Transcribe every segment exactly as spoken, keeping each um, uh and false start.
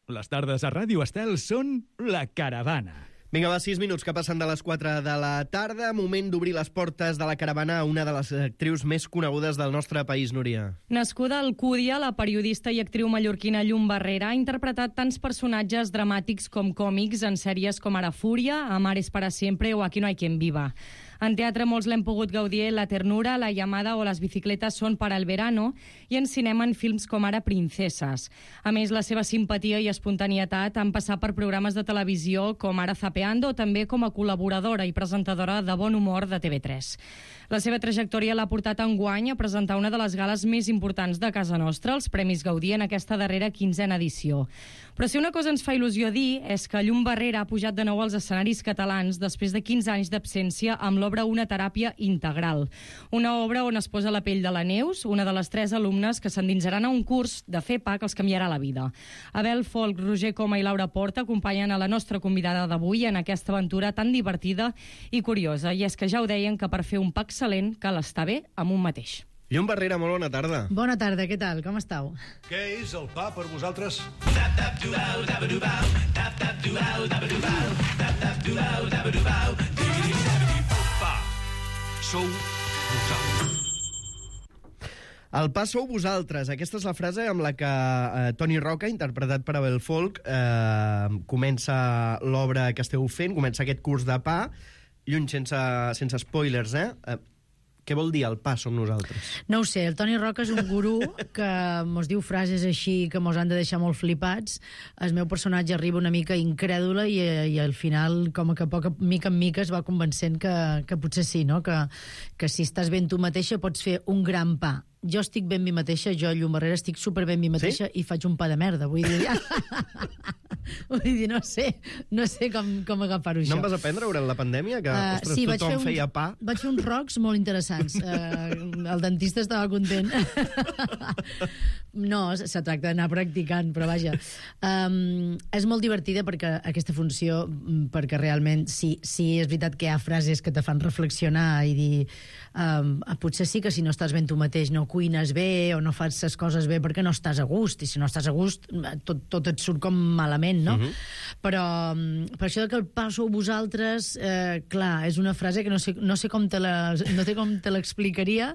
Les tardes a Ràdio Estel són La Caravana. Vinga, va, sis minuts que passen de les quatre de la tarda. Moment d'obrir les portes de La Caravana a una de les actrius més conegudes del nostre país, Núria. Nascuda a Alcúdia, la periodista i actriu mallorquina Llum Barrera ha interpretat tants personatges dramàtics com còmics en sèries com Ara Fúria, Amares para siempre o Aquí no hay quien viva. En teatre molts l'hem pogut gaudir La ternura, La llamada o Las bicicletas son para el verano, i en cinema en films com ara Princeses. A més, la seva simpatia i espontanietat han passat per programes de televisió com ara Zapeando o també com a col·laboradora i presentadora de Bon Humor de T V tres. La seva trajectòria l'ha portat enguany a presentar una de les gales més importants de casa nostra, els Premis Gaudí, en aquesta darrera quinzena edició. Però si una cosa ens fa il·lusió dir és que Llum Barrera ha pujat de nou als escenaris catalans després de quinze anys d'absència amb l'obra Una teràpia integral. Una obra on es posa la pell de la Neus, una de les tres alumnes que s'endinsaran a un curs de F E P A que els canviarà la vida. Abel Folk, Roger Coma i Laura Porta acompanyen a la nostra convidada d'avui en aquesta aventura tan divertida i curiosa. I és que ja ho deien que per fer un pa excel·lent cal estar bé amb un mateix. Llum Barrera, molt bona tarda. Bona tarda, què tal? Com estàu? Què és el pa per vosaltres? Pa. Sou vosaltres. El pa sou vosaltres. Aquesta és la frase amb la que eh, Toni Roca, interpretat per Abel Folk, eh, comença l'obra que esteu fent, comença aquest curs de pa, lluny sense, sense spoilers, eh? eh Què vol dir el pa som nosaltres? No ho sé, el Toni Roca és un gurú que mos diu frases així que mos han de deixar molt flipats. El meu personatge arriba una mica incrèdula i, i al final, com que poc, mica en mica, es va convencent que, que potser sí, no? que, que si estàs ben tu mateixa pots fer un gran pa. Jo estic ben mi mateixa, jo, Llum Barrera, estic super ben mi mateixa, sí? I faig un pa de merda, vull dir... vull dir, no sé, no sé com, com agafar-ho, això. No em vas aprendre durant la pandèmia? Que, uh, ostres, sí, tothom uns, feia pa? Vaig fer uns rocs molt interessants. Uh, el dentista estava content. No, se tracta d'anar practicant, però vaja. Um, és molt divertida perquè aquesta funció, perquè realment sí, sí és veritat que hi ha frases que te fan reflexionar i dir um, potser sí que si no estàs ben tu mateix no cuines bé o no fas les coses bé perquè no estàs a gust, i si no estàs a gust tot, tot et surt com malament, no? Uh-huh. Però per això que el pa sou vosaltres, eh, clar, és una frase que no sé, no sé com te la, no sé com te l'explicaria,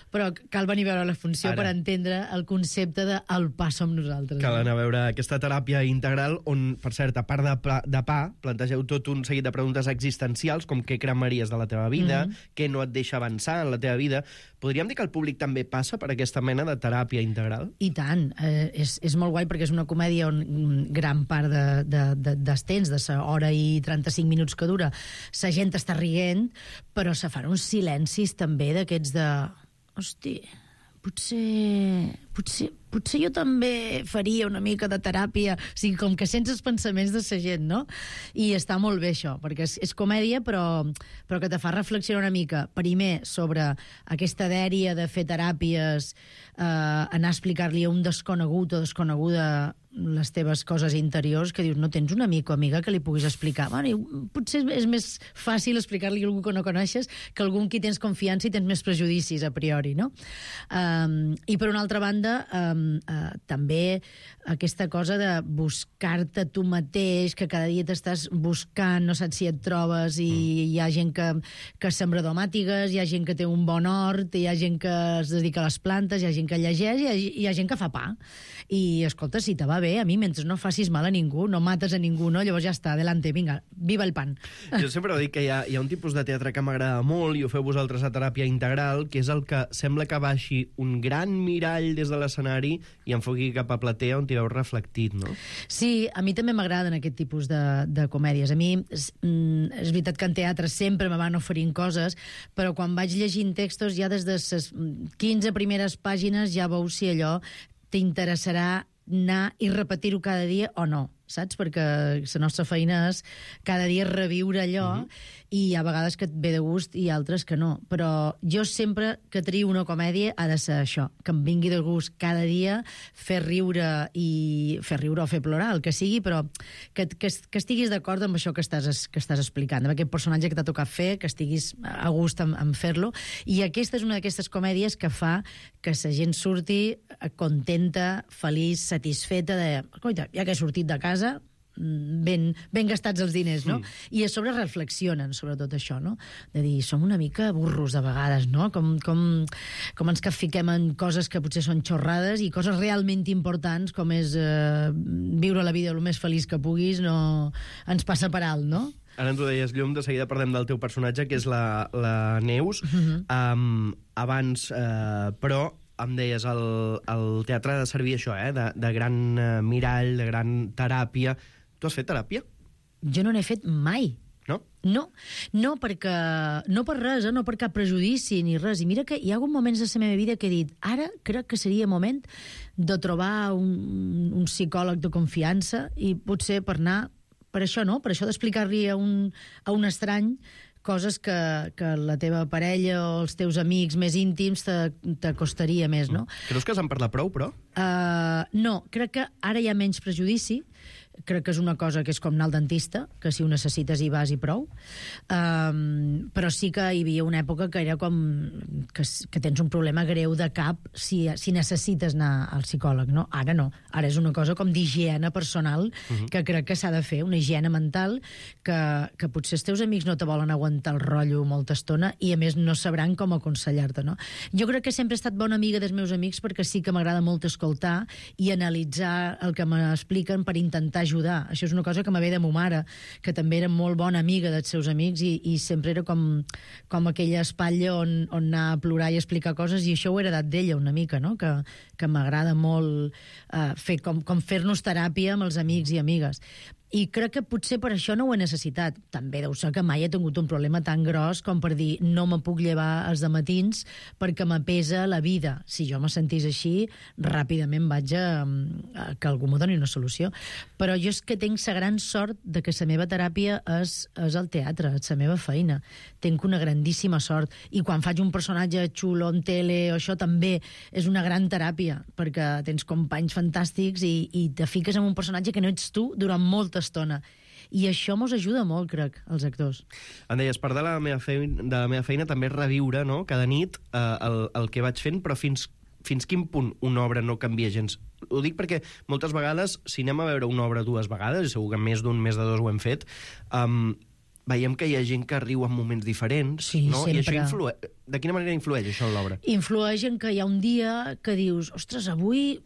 però cal venir a veure la funció Ara. Per entendre el concepte de el pa som nosaltres. Cal anar a veure aquesta teràpia integral on, per cert, a part de pa, de pa plantegeu tot un seguit de preguntes existencials com què cremaries de la teva vida, mm-hmm. què no et deixa avançar en la teva vida. Podríem dir que el públic també passa per aquesta mena de teràpia integral? I tant. Eh, és, és molt guai perquè és una comèdia on gran part de, de, de, dels temps, de la hora i trenta-cinc minuts que dura, la gent està rient, però se fan uns silencis també d'aquests de... Hosti, potser, potser, potser jo també faria una mica de teràpia, o sigui, com que sents els pensaments de la gent, no? I està molt bé això, perquè és, és comèdia, però, però que te fa reflexionar una mica, primer, sobre aquesta dèria de fer teràpies, eh, anar a explicar-li a un desconegut o desconeguda les teves coses interiors, que dius, no tens un amic o amiga que li puguis explicar. Bueno, potser és més fàcil explicar-li a algú que no coneixes que a algú en qui tens confiança i tens més prejudicis a priori, no? Um, I per una altra banda, um, uh, també aquesta cosa de buscar-te tu mateix, que cada dia t'estàs buscant, no saps si et trobes, i mm. hi ha gent que, que sembra domàtigues, hi ha gent que té un bon hort, hi ha gent que es dedica a les plantes, hi ha gent que llegeix, hi ha, hi ha gent que fa pa. I, escolta, si te va bé, a mi, mentre no facis mal a ningú, no mates a ningú, no? Llavors ja està, adelante, vinga, viva el pan. Jo sempre dic que hi ha, hi ha un tipus de teatre que m'agrada molt, i ho feu vosaltres a teràpia integral, que és el que sembla que baixi un gran mirall des de l'escenari i enfoqui cap a platea on t'hi veus reflectit, no? Sí, a mi també m'agraden aquest tipus de, de comèdies. A mi és, és veritat que en teatre sempre me van oferint coses, però quan vaig llegint textos ja des de les quinze primeres pàgines ja veus si allò t'interessarà anar i repetir-ho cada dia o no. saps? Perquè la nostra feina és cada dia reviure allò, uh-huh. i hi ha vegades que et ve de gust i altres que no. Però jo sempre que trio una comèdia ha de ser això, que em vingui de gust cada dia fer riure i fer riure o fer plorar, el que sigui, però que, que, que estiguis d'acord amb això que estàs, que estàs explicant, amb aquest personatge que t'ha tocat fer, que estiguis a gust en, en fer-lo. I aquesta és una d'aquestes comèdies que fa que la gent surti contenta, feliç, satisfeta de, coita, ja que he sortit de casa, ben, ben gastats els diners, no? Mm. I a sobre reflexionen sobre tot això, no? De dir, som una mica burros a vegades, no? Com, com, com ens capfiquem en coses que potser són xorrades i coses realment importants, com és eh, viure la vida el més feliç que puguis, no ens passa per alt, no? Ara ens ho deies, Llum, de seguida parlem del teu personatge, que és la, la Neus. Uh-huh. um, abans, eh, però, em deies, el, el teatre ha de servir això, eh? de, de gran eh, mirall, de gran teràpia. Tu has fet teràpia? Jo no n'he fet mai. No? No, no, perquè, no per res, eh? No per cap prejudici ni res. I mira que hi ha hagut moments de la meva vida que he dit, ara crec que seria moment de trobar un, un psicòleg de confiança i potser per anar per això, no? Per això d'explicar-li a, un, a un estrany coses que, que la teva parella o els teus amics més íntims t'acostaria més, no? Creus que se'n parla prou, però? Uh, no, crec que ara hi ha menys prejudici. Crec que és una cosa que és com anar al dentista, que si ho necessites hi vas i prou. Um, però sí que hi havia una època que era com que, que tens un problema greu de cap si, si necessites anar al psicòleg, no? Ara no. Ara és una cosa com d'higiene personal uh-huh. que crec que s'ha de fer, una higiene mental que, que potser els teus amics no te volen aguantar el rotllo molta estona i a més no sabran com aconsellar-te, no? Jo crec que sempre he estat bona amiga dels meus amics perquè sí que m'agrada molt escoltar i analitzar el que m'expliquen per intentar ajudar. Això és una cosa que me ve de ma mare, que també era molt bona amiga dels seus amics i, i sempre era com, com aquella espatlla on, on anar a plorar i explicar coses, i això ho he heredat d'ella una mica, no? Que, que m'agrada molt uh, fer com, com fer-nos teràpia amb els amics i amigues. I crec que potser per això no ho he necessitat. També deu ser que mai he tingut un problema tan gros com per dir no me puc llevar els dematins perquè me pesa la vida. Si jo me sentís així, ràpidament vaig a, a que algú m'ho doni una solució. Però jo és que tinc la gran sort de que la meva teràpia és, és el teatre, és la meva feina. Tinc una grandíssima sort. I quan faig un personatge xulo en tele o això també és una gran teràpia, perquè tens companys fantàstics i, i te fiques en un personatge que no ets tu durant molta estona. I això mos ajuda molt, crec, els actors. Em deies, part de la meva feina, de la meva feina també és reviure, no?, cada nit eh, el, el que vaig fent, però fins, fins quin punt una obra no canvia gens? Ho dic perquè moltes vegades, si anem a veure una obra dues vegades, i segur que més d'un, més de dos ho hem fet, um, veiem que hi ha gent que riu en moments diferents, sí, no? Sempre. I això influeix. De quina manera influeix això en l'obra? Influeix en que hi ha un dia que dius, ostres, avui...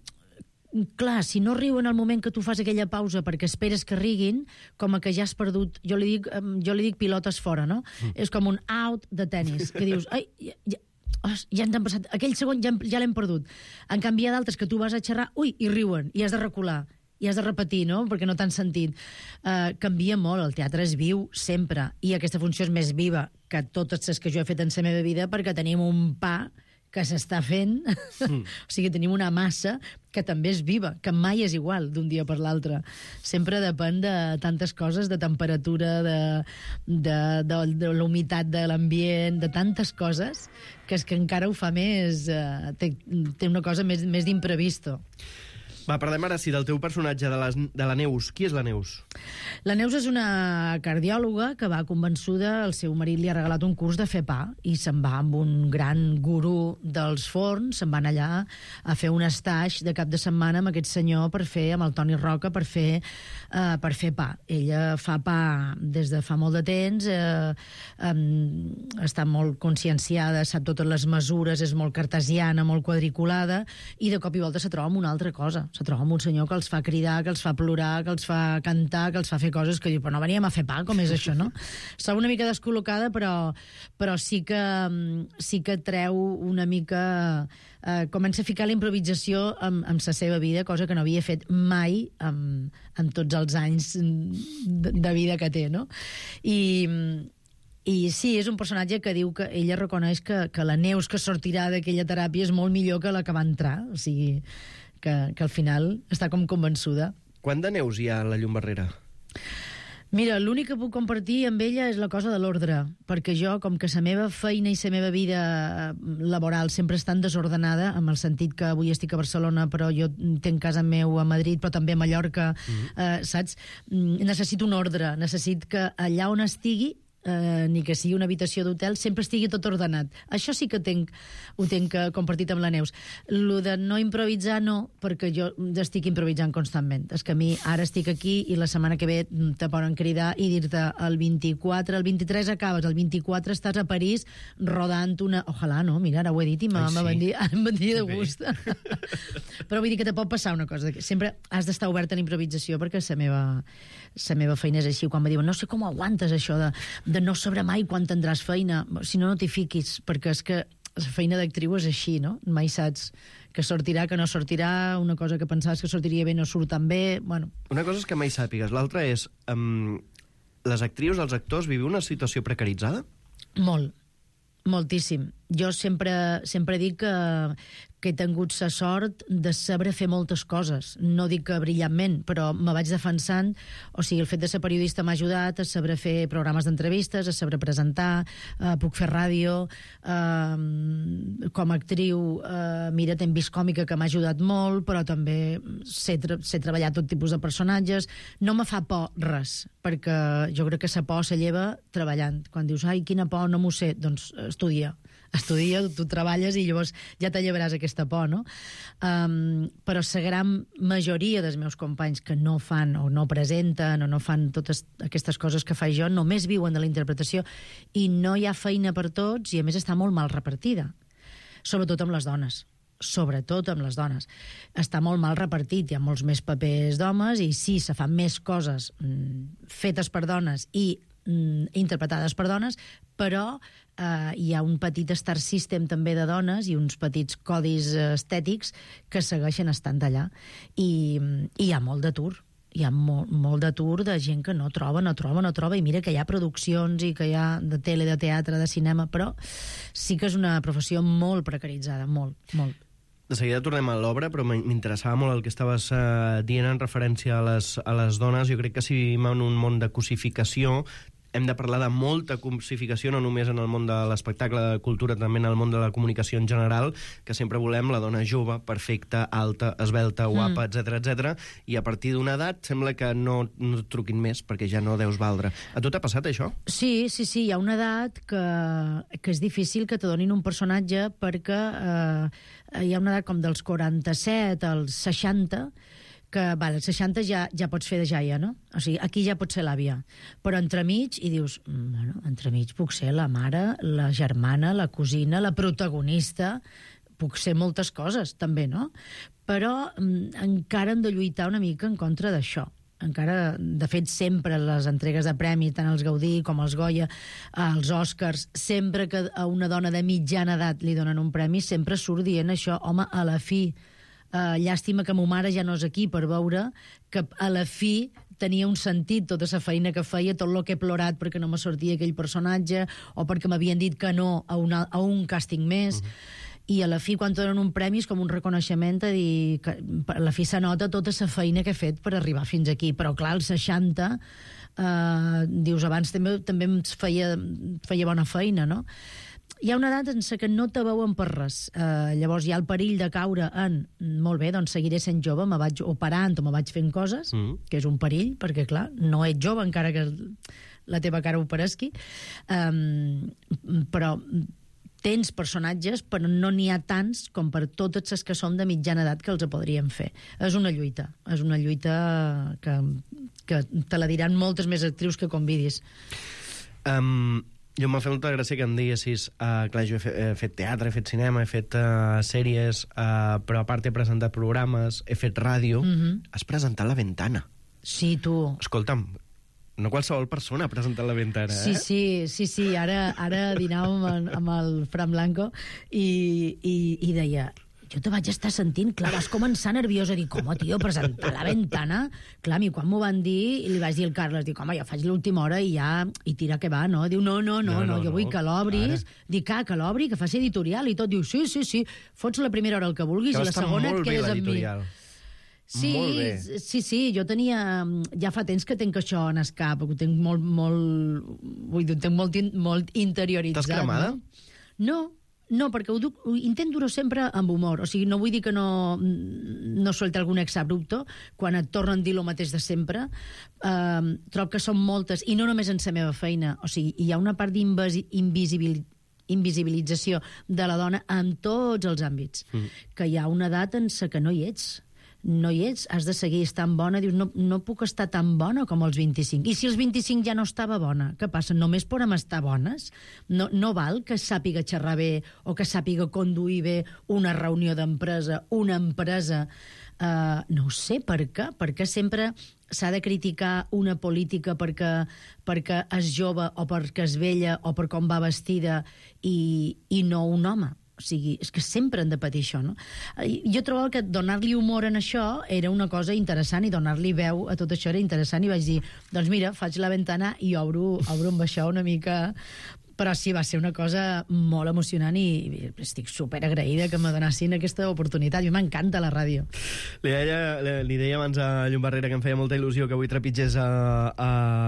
Clar, si no riuen al moment que tu fas aquella pausa perquè esperes que riguin, com a que ja has perdut... Jo li dic, jo li dic pilotes fora, no? Mm. És com un out de tennis, que dius... Ai, ja, ja, os, ja ens han passat... Aquell segon ja, ja l'hem perdut. En canvi, hi ha d'altres que tu vas a xerrar, ui, i riuen, i has de recular, i has de repetir, no?, perquè no t'han sentit. Uh, canvia molt, el teatre és viu sempre, i aquesta funció és més viva que totes les que jo he fet en la meva vida, perquè tenim un pa que s'està fent, mm. o sigui, tenim una massa que també és viva, que mai és igual d'un dia per l'altre. Sempre depèn de tantes coses, de temperatura, de, de, de, de la humitat de l'ambient, de tantes coses, que és que encara ho fa més... Eh, té, té una cosa més, més d'imprevisto. Va, parlem ara sí del teu personatge, de, les, de la Neus. Qui és la Neus? La Neus és una cardiòloga que va convençuda, el seu marit li ha regalat un curs de fer pa i se'n va amb un gran gurú dels forns, se'n van allà a fer un stage de cap de setmana amb aquest senyor per fer, amb el Toni Roca, per fer, uh, per fer pa. Ella fa pa des de fa molt de temps, uh, um, està molt conscienciada, sap totes les mesures, és molt cartesiana, molt quadriculada, i de cop i volta se troba amb una altra cosa. Se troba amb un senyor que els fa cridar, que els fa plorar, que els fa cantar, que els fa fer coses que diu, però no veníem a fer pa, com és això, no? Està una mica descol·locada, però, però sí, que, sí que treu una mica... Eh, comença a ficar la improvisació amb, amb la seva vida, cosa que no havia fet mai amb, amb tots els anys de, de vida que té, no? I... I sí, és un personatge que diu que ella reconeix que, que la Neus que sortirà d'aquella teràpia és molt millor que la que va entrar, o sigui, que, que al final està com convençuda. Quant de neus hi ha a la Llumbarrera? Mira, l'únic que puc compartir amb ella és la cosa de l'ordre, perquè jo, com que la meva feina i la meva vida laboral sempre estan desordenada, en el sentit que avui estic a Barcelona, però jo tenc casa meu a Madrid, però també a Mallorca, mm-hmm. eh, saps? Necessito un ordre, necessito que allà on estigui, eh, ni que sigui una habitació d'hotel, sempre estigui tot ordenat. Això sí que tenc, ho tenc compartit amb la Neus. Lo de no improvisar, no, perquè jo estic improvisant constantment. És que a mi ara estic aquí i la setmana que ve te poden cridar i dir-te el vint-i-quatre, el vint-i-tres acabes, el vint-i-quatre estàs a París rodant una... Ojalà, no? Mira, ara ho he dit i em vendria de gust. Però vull dir que te pot passar una cosa. Sempre has d'estar obert a la improvisació perquè la meva, la meva feina és així. Quan me diuen, no sé com aguantes això de de no sabrà mai quan tindràs feina. Si no, no t'hi fiquis, perquè és que la feina d'actriu és així, no? Mai saps que sortirà, que no sortirà, una cosa que pensaves que sortiria bé no surt tan bé, bueno... Una cosa és que mai sàpigues, l'altra és... Um, les actrius, els actors, viviu una situació precaritzada? Molt, moltíssim. Jo sempre, sempre dic que, que he tingut la sort de saber fer moltes coses. No dic que brillantment, però me vaig defensant. O sigui, el fet de ser periodista m'ha ajudat a saber fer programes d'entrevistes, a saber presentar, eh, puc fer ràdio. Eh, com a actriu, eh, mira, t'hem vist còmica, que m'ha ajudat molt, però també sé, tra sé treballar tot tipus de personatges. No me fa por res, perquè jo crec que la por se lleva treballant. Quan dius, ai, quina por, no m'ho sé, doncs estudia. Estudia, tu treballes i llavors ja te llevaràs aquesta por, no? Um, però la gran majoria dels meus companys que no fan o no presenten o no fan totes aquestes coses que faig jo només viuen de la interpretació i no hi ha feina per tots i a més està molt mal repartida, sobretot amb les dones. Sobretot amb les dones. Està molt mal repartit, hi ha molts més papers d'homes i sí, se fan més coses mm, fetes per dones i mm, interpretades per dones, però eh, hi ha un petit star system també de dones i uns petits codis estètics que segueixen estant allà. I, i hi ha molt d'atur. Hi ha molt, molt d'atur de gent que no troba, no troba, no troba, i mira que hi ha produccions i que hi ha de tele, de teatre, de cinema, però sí que és una professió molt precaritzada, molt, molt. De seguida tornem a l'obra, però m'interessava molt el que estaves uh, dient en referència a les, a les dones. Jo crec que si vivim en un món de cosificació, hem de parlar de molta cosificació, no només en el món de l'espectacle, de la cultura, també en el món de la comunicació en general, que sempre volem la dona jove, perfecta, alta, esvelta, guapa, mm. etcètera, etcètera, i a partir d'una edat sembla que no, no et truquin més, perquè ja no deus valdre. A tu t'ha passat això? Sí, sí, sí, hi ha una edat que, que és difícil que te donin un personatge perquè eh, hi ha una edat com dels quaranta-set als seixanta, que vale, als seixanta ja, ja pots fer de jaia, no? O sigui, aquí ja pots ser l'àvia. Però entremig, i dius, bueno, entremig puc ser la mare, la germana, la cosina, la protagonista, puc ser moltes coses, també, no? Però mm, encara hem de lluitar una mica en contra d'això. Encara, de fet, sempre les entregues de premi, tant els Gaudí com els Goya, els Oscars, sempre que a una dona de mitjana edat li donen un premi, sempre surt dient això, home, a la fi, Uh, llàstima que ma mare ja no és aquí per veure que a la fi tenia un sentit tota la feina que feia, tot el que he plorat perquè no me sortia aquell personatge o perquè m'havien dit que no a, una, a un càsting més. Uh-huh. I a la fi, quan te donen un premi, és com un reconeixement a dir que a la fi se nota tota la feina que he fet per arribar fins aquí. Però clar, als seixanta uh, dius, abans també, també em feia, feia bona feina, no? Hi ha una edat en què no te veuen per res. Uh, llavors hi ha el perill de caure en molt bé, doncs seguiré sent jove, me vaig operant o me vaig fent coses, mm. que és un perill, perquè clar, no ets jove encara que la teva cara ho paresqui, um, però tens personatges, però no n'hi ha tants com per totes les que som de mitjana edat que els podríem fer. És una lluita, és una lluita que, que te la diran moltes més actrius que convidis. Um... Jo m'ha fet molta gràcia que em diguessis, uh, clar, jo he fet, he fet teatre, he fet cinema, he fet uh, sèries, uh, però a part he presentat programes, he fet ràdio. Mm-hmm. Has presentat La Ventana. Sí, tu. Escolta'm, no qualsevol persona ha presentat La Ventana, eh? Sí, sí, sí, sí. Ara, ara dinàvem amb, amb el Fran Blanco i, i, i deia... Jo te vaig estar sentint, clar, vas començar nerviosa, a dir, com, tio, presentar La Ventana? Clar, a mi quan m'ho van dir, i li vaig dir al Carles, dic, home, jo faig l'última hora i ja, i tira que va, no? Diu, no, no, no, no, no jo vull no. que l'obris. Dic, ah, que l'obri, que faci editorial i tot. Diu, sí, sí, sí, fots la primera hora el que vulguis que i la segona et quedes amb mi. Sí, Molt bé. sí, sí, jo tenia... Ja fa temps que tenc això en el cap, ho tenc molt, molt... Vull dir, ho tenc molt, in- molt interioritzat. T'has cremada? No, no, no perquè ho, duc, ho intento dur sempre amb humor. O sigui, no vull dir que no, no solti algun exabrupto quan et tornen a dir el mateix de sempre. Uh, trobo que són moltes, i no només en la meva feina. O sigui, hi ha una part d'invisibilitat invisibilització de la dona en tots els àmbits. Mm. Que hi ha una edat en la que no hi ets. No hi ets, has de seguir estant bona. Dius, no, no puc estar tan bona com els vint-i-cinc. I si els vint-i-cinc ja no estava bona, què passa? Només podem estar bones? No, no val que sàpiga xerrar bé o que sàpiga conduir bé una reunió d'empresa, una empresa... Uh, no ho sé, per què? Per què sempre s'ha de criticar una política perquè, perquè és jove o perquè és vella o per com va vestida i, i no un home? O sigui, és que sempre han de patir això, no? Jo trobava que donar-li humor en això era una cosa interessant i donar-li veu a tot això era interessant i vaig dir, doncs mira, faig la ventana i obro, obro amb això una mica... Però sí, va ser una cosa molt emocionant i estic superagraïda que me donessin aquesta oportunitat. A mi m'encanta la ràdio. Li deia, li deia abans a Llum Barrera que em feia molta il·lusió que avui trepitgés a, a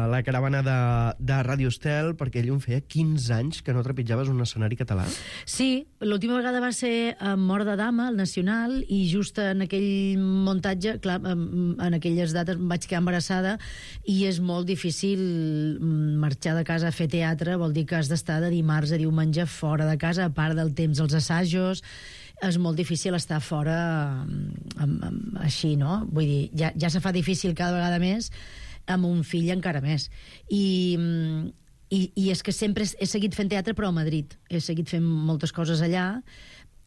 la caravana de, de Ràdio Estel, perquè ell em feia quinze anys que no trepitjaves un escenari català. Sí, l'última vegada va ser a Mort de Dama, al Nacional, i just en aquell muntatge, clar, en aquelles dates em vaig quedar embarassada i és molt difícil marxar de casa a fer teatre, vol dir que has d'estar de dimarts a diumenge fora de casa, a part del temps dels assajos, és molt difícil estar fora amb, amb, així, no? Vull dir, ja, ja se fa difícil cada vegada més, amb un fill encara més. I, i, i és que sempre he seguit fent teatre, però a Madrid. He seguit fent moltes coses allà,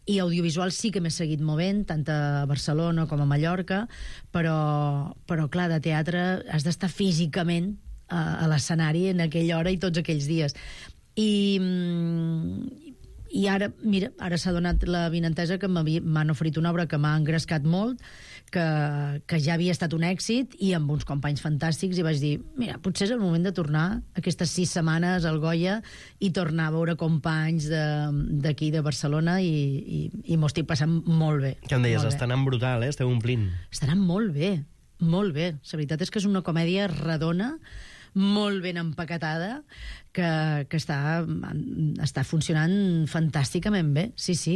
i audiovisual sí que m'he seguit movent, tant a Barcelona com a Mallorca, però, però clar, de teatre has d'estar físicament a, a l'escenari en aquella hora i tots aquells dies. I, i ara, mira, ara s'ha donat la vinentesa que m'han oferit una obra que m'ha engrescat molt, que, que ja havia estat un èxit, i amb uns companys fantàstics, i vaig dir, mira, potser és el moment de tornar aquestes sis setmanes al Goya i tornar a veure companys d'aquí, de, de Barcelona, i, i, i m'ho estic passant molt bé. Què em deies? Està anant brutal, eh? Esteu omplint. Està anant molt bé, molt bé. La veritat és que és una comèdia redona, molt ben empaquetada, que, que està, està funcionant fantàsticament bé. Sí, sí,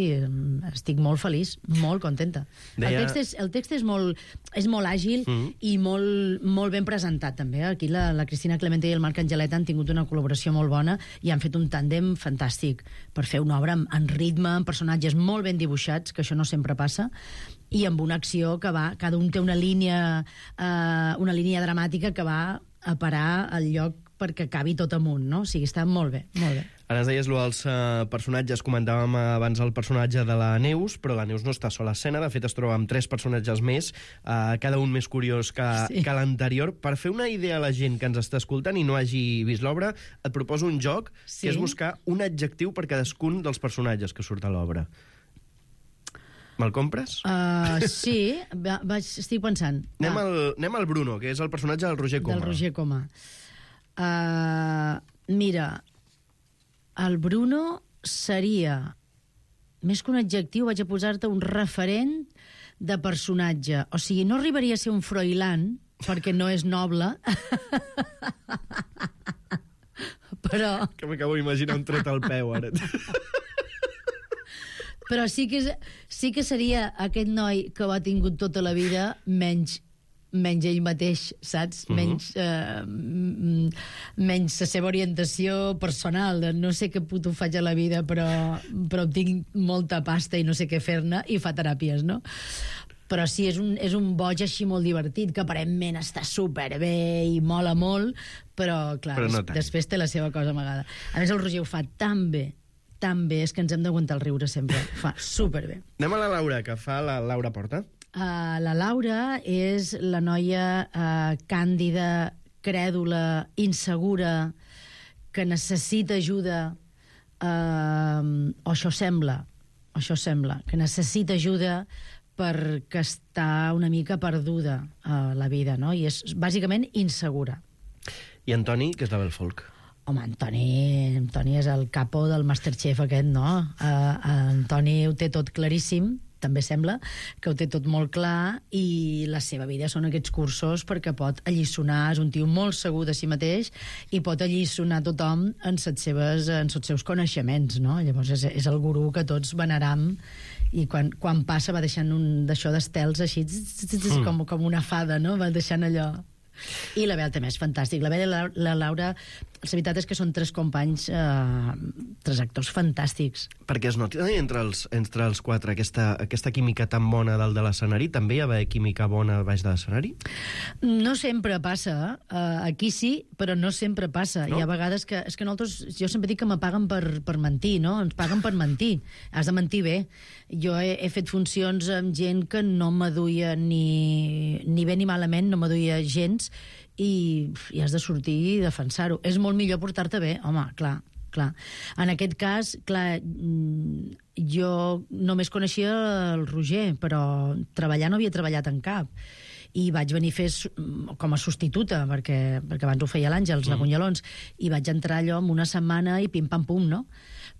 estic molt feliç, molt contenta. Deia... El text és, el text és, molt, és molt àgil mm-hmm. i molt, molt ben presentat, també. Aquí la, la Cristina Clemente i el Marc Angeleta han tingut una col·laboració molt bona i han fet un tàndem fantàstic per fer una obra en ritme, amb personatges molt ben dibuixats, que això no sempre passa, i amb una acció que va... Cada un té una línia, eh, una línia dramàtica que va a parar al lloc perquè acabi tot amunt, no? O sigui, està molt bé, molt bé. Ara ens deies allò dels uh, personatges, comentàvem abans el personatge de la Neus, però la Neus no està sola a escena, de fet es troba amb tres personatges més, uh, cada un més curiós que, sí. que l'anterior. Per fer una idea a la gent que ens està escoltant i no hagi vist l'obra, et proposo un joc, sí. que és buscar un adjectiu per cadascun dels personatges que surt a l'obra. Me'l compres? Uh, sí, va, vaig, estic pensant. Anem al, anem al Bruno, que és el personatge del Roger Coma. Del Roger Coma. Uh, mira, el Bruno seria, més que un adjectiu, vaig a posar-te un referent de personatge. O sigui, no arribaria a ser un Froilán, perquè no és noble, però... Que m'acabo d'imaginar un tret al peu, ara. Però sí que, sí que seria aquest noi que ho ha tingut tota la vida, menys, menys ell mateix, saps? Uh-huh. Menys, eh, menys la seva orientació personal, de no sé què puto faig a la vida, però, però tinc molta pasta i no sé què fer-ne, i fa teràpies, no? Però sí, és un, és un boig així molt divertit, que aparentment està superbé i mola molt, però, clar, però no des, després té la seva cosa amagada. A més, el Roger ho fa tan bé, tan bé, és que ens hem d'aguantar el riure sempre. Fa superbé. Anem a la Laura, que fa la Laura Porta. Uh, la Laura és la noia uh, càndida, crèdula, insegura, que necessita ajuda, uh, o això sembla, o això sembla, que necessita ajuda perquè està una mica perduda a la vida, no? I és bàsicament insegura. I Antoni, que és la Belfolk. Home, Antoni, Antoni és el capo del Masterchef aquest, no? Uh, Antoni ho té tot claríssim, també sembla que ho té tot molt clar, i la seva vida són aquests cursos perquè pot alliçonar, és un tio molt segur de si mateix i pot alliçonar tothom en les seves, en els seus coneixements, no? Llavors és, és el gurú que tots veneram, i quan, quan passa va deixant un d'això d'estels així, mm. com, com una fada, no? Va deixant allò. I la Bea també és fantàstic. La Bea i la, la Laura, la veritat és que són tres companys, eh, tres actors fantàstics. Perquè es noti entre els, entre els quatre aquesta, aquesta química tan bona dalt de l'escenari. També hi ha d'haver química bona baix de l'escenari? No sempre passa. Uh, aquí sí, però no sempre passa. No? Hi ha vegades que... És que nosaltres, jo sempre dic que me paguen per, per mentir, no? Ens paguen per mentir. Has de mentir bé. Jo he, he fet funcions amb gent que no m'aduia ni, ni bé ni malament, no m'aduia gens, i, i has de sortir i defensar-ho. És molt millor portar-te bé, home, clar, clar. En aquest cas, clar, jo només coneixia el Roger, però treballar no havia treballat en cap. I vaig venir a fer com a substituta, perquè, perquè abans ho feia l'Àngels, mm. la Cunyalons, i vaig entrar allò en una setmana i pim-pam-pum, no?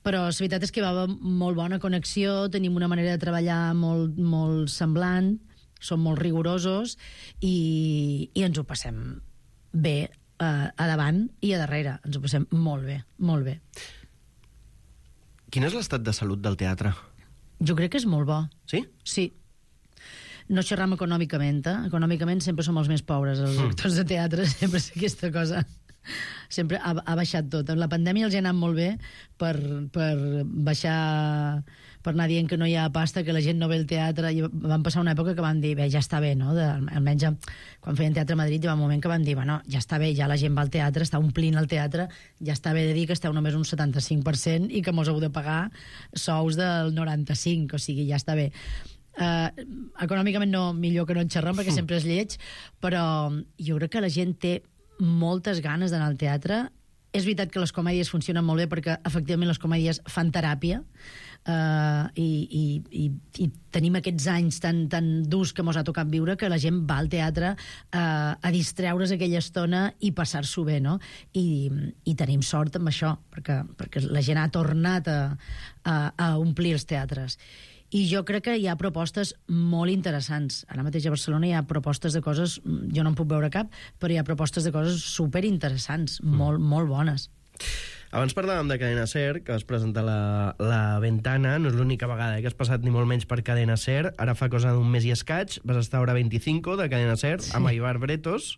Però la veritat és que hi va haver molt bona connexió, tenim una manera de treballar molt, molt semblant, som molt rigorosos i, i ens ho passem bé eh, a davant i a darrere. Ens ho passem molt bé, molt bé. Quin és l'estat de salut del teatre? Jo crec que és molt bo. Sí? Sí. No xerram econòmicament, eh? Econòmicament sempre som els més pobres, els actors de teatre, sempre és aquesta cosa. Sempre ha, ha baixat tot. En la pandèmia els ha anat molt bé per, per baixar, per anar dient que no hi ha pasta, que la gent no ve al teatre. I van passar una època que van dir, bé, ja està bé, no? De, almenys quan feien teatre a Madrid hi va un moment que van dir, bueno, ja està bé, ja la gent va al teatre, està omplint el teatre, ja està bé de dir que esteu només un setanta-cinc per cent i que mos heu de pagar sous del noranta-cinc, o sigui, ja està bé. Uh, econòmicament no, millor que no en xerram perquè sempre és lleig, però jo crec que la gent té moltes ganes d'anar al teatre. És veritat que les comèdies funcionen molt bé perquè efectivament les comèdies fan teràpia, uh, i, i, i, i tenim aquests anys tan, tan durs que mos ha tocat viure que la gent va al teatre uh, a distreure's aquella estona i passar-s'ho bé, no? I, i tenim sort amb això perquè, perquè la gent ha tornat a, a, a omplir els teatres. I jo crec que hi ha propostes molt interessants. Ara mateix a Barcelona hi ha propostes de coses, jo no en puc veure cap, però hi ha propostes de coses superinteressants, mm. molt, molt bones. Abans parlàvem de Cadena Ser, que vas presentar la, la Ventana, no és l'única vegada eh, que has passat ni molt menys per Cadena Ser, ara fa cosa d'un mes i escaig, vas estar a Hora veinticinco de Cadena Ser, sí. amb Aibar Bretos,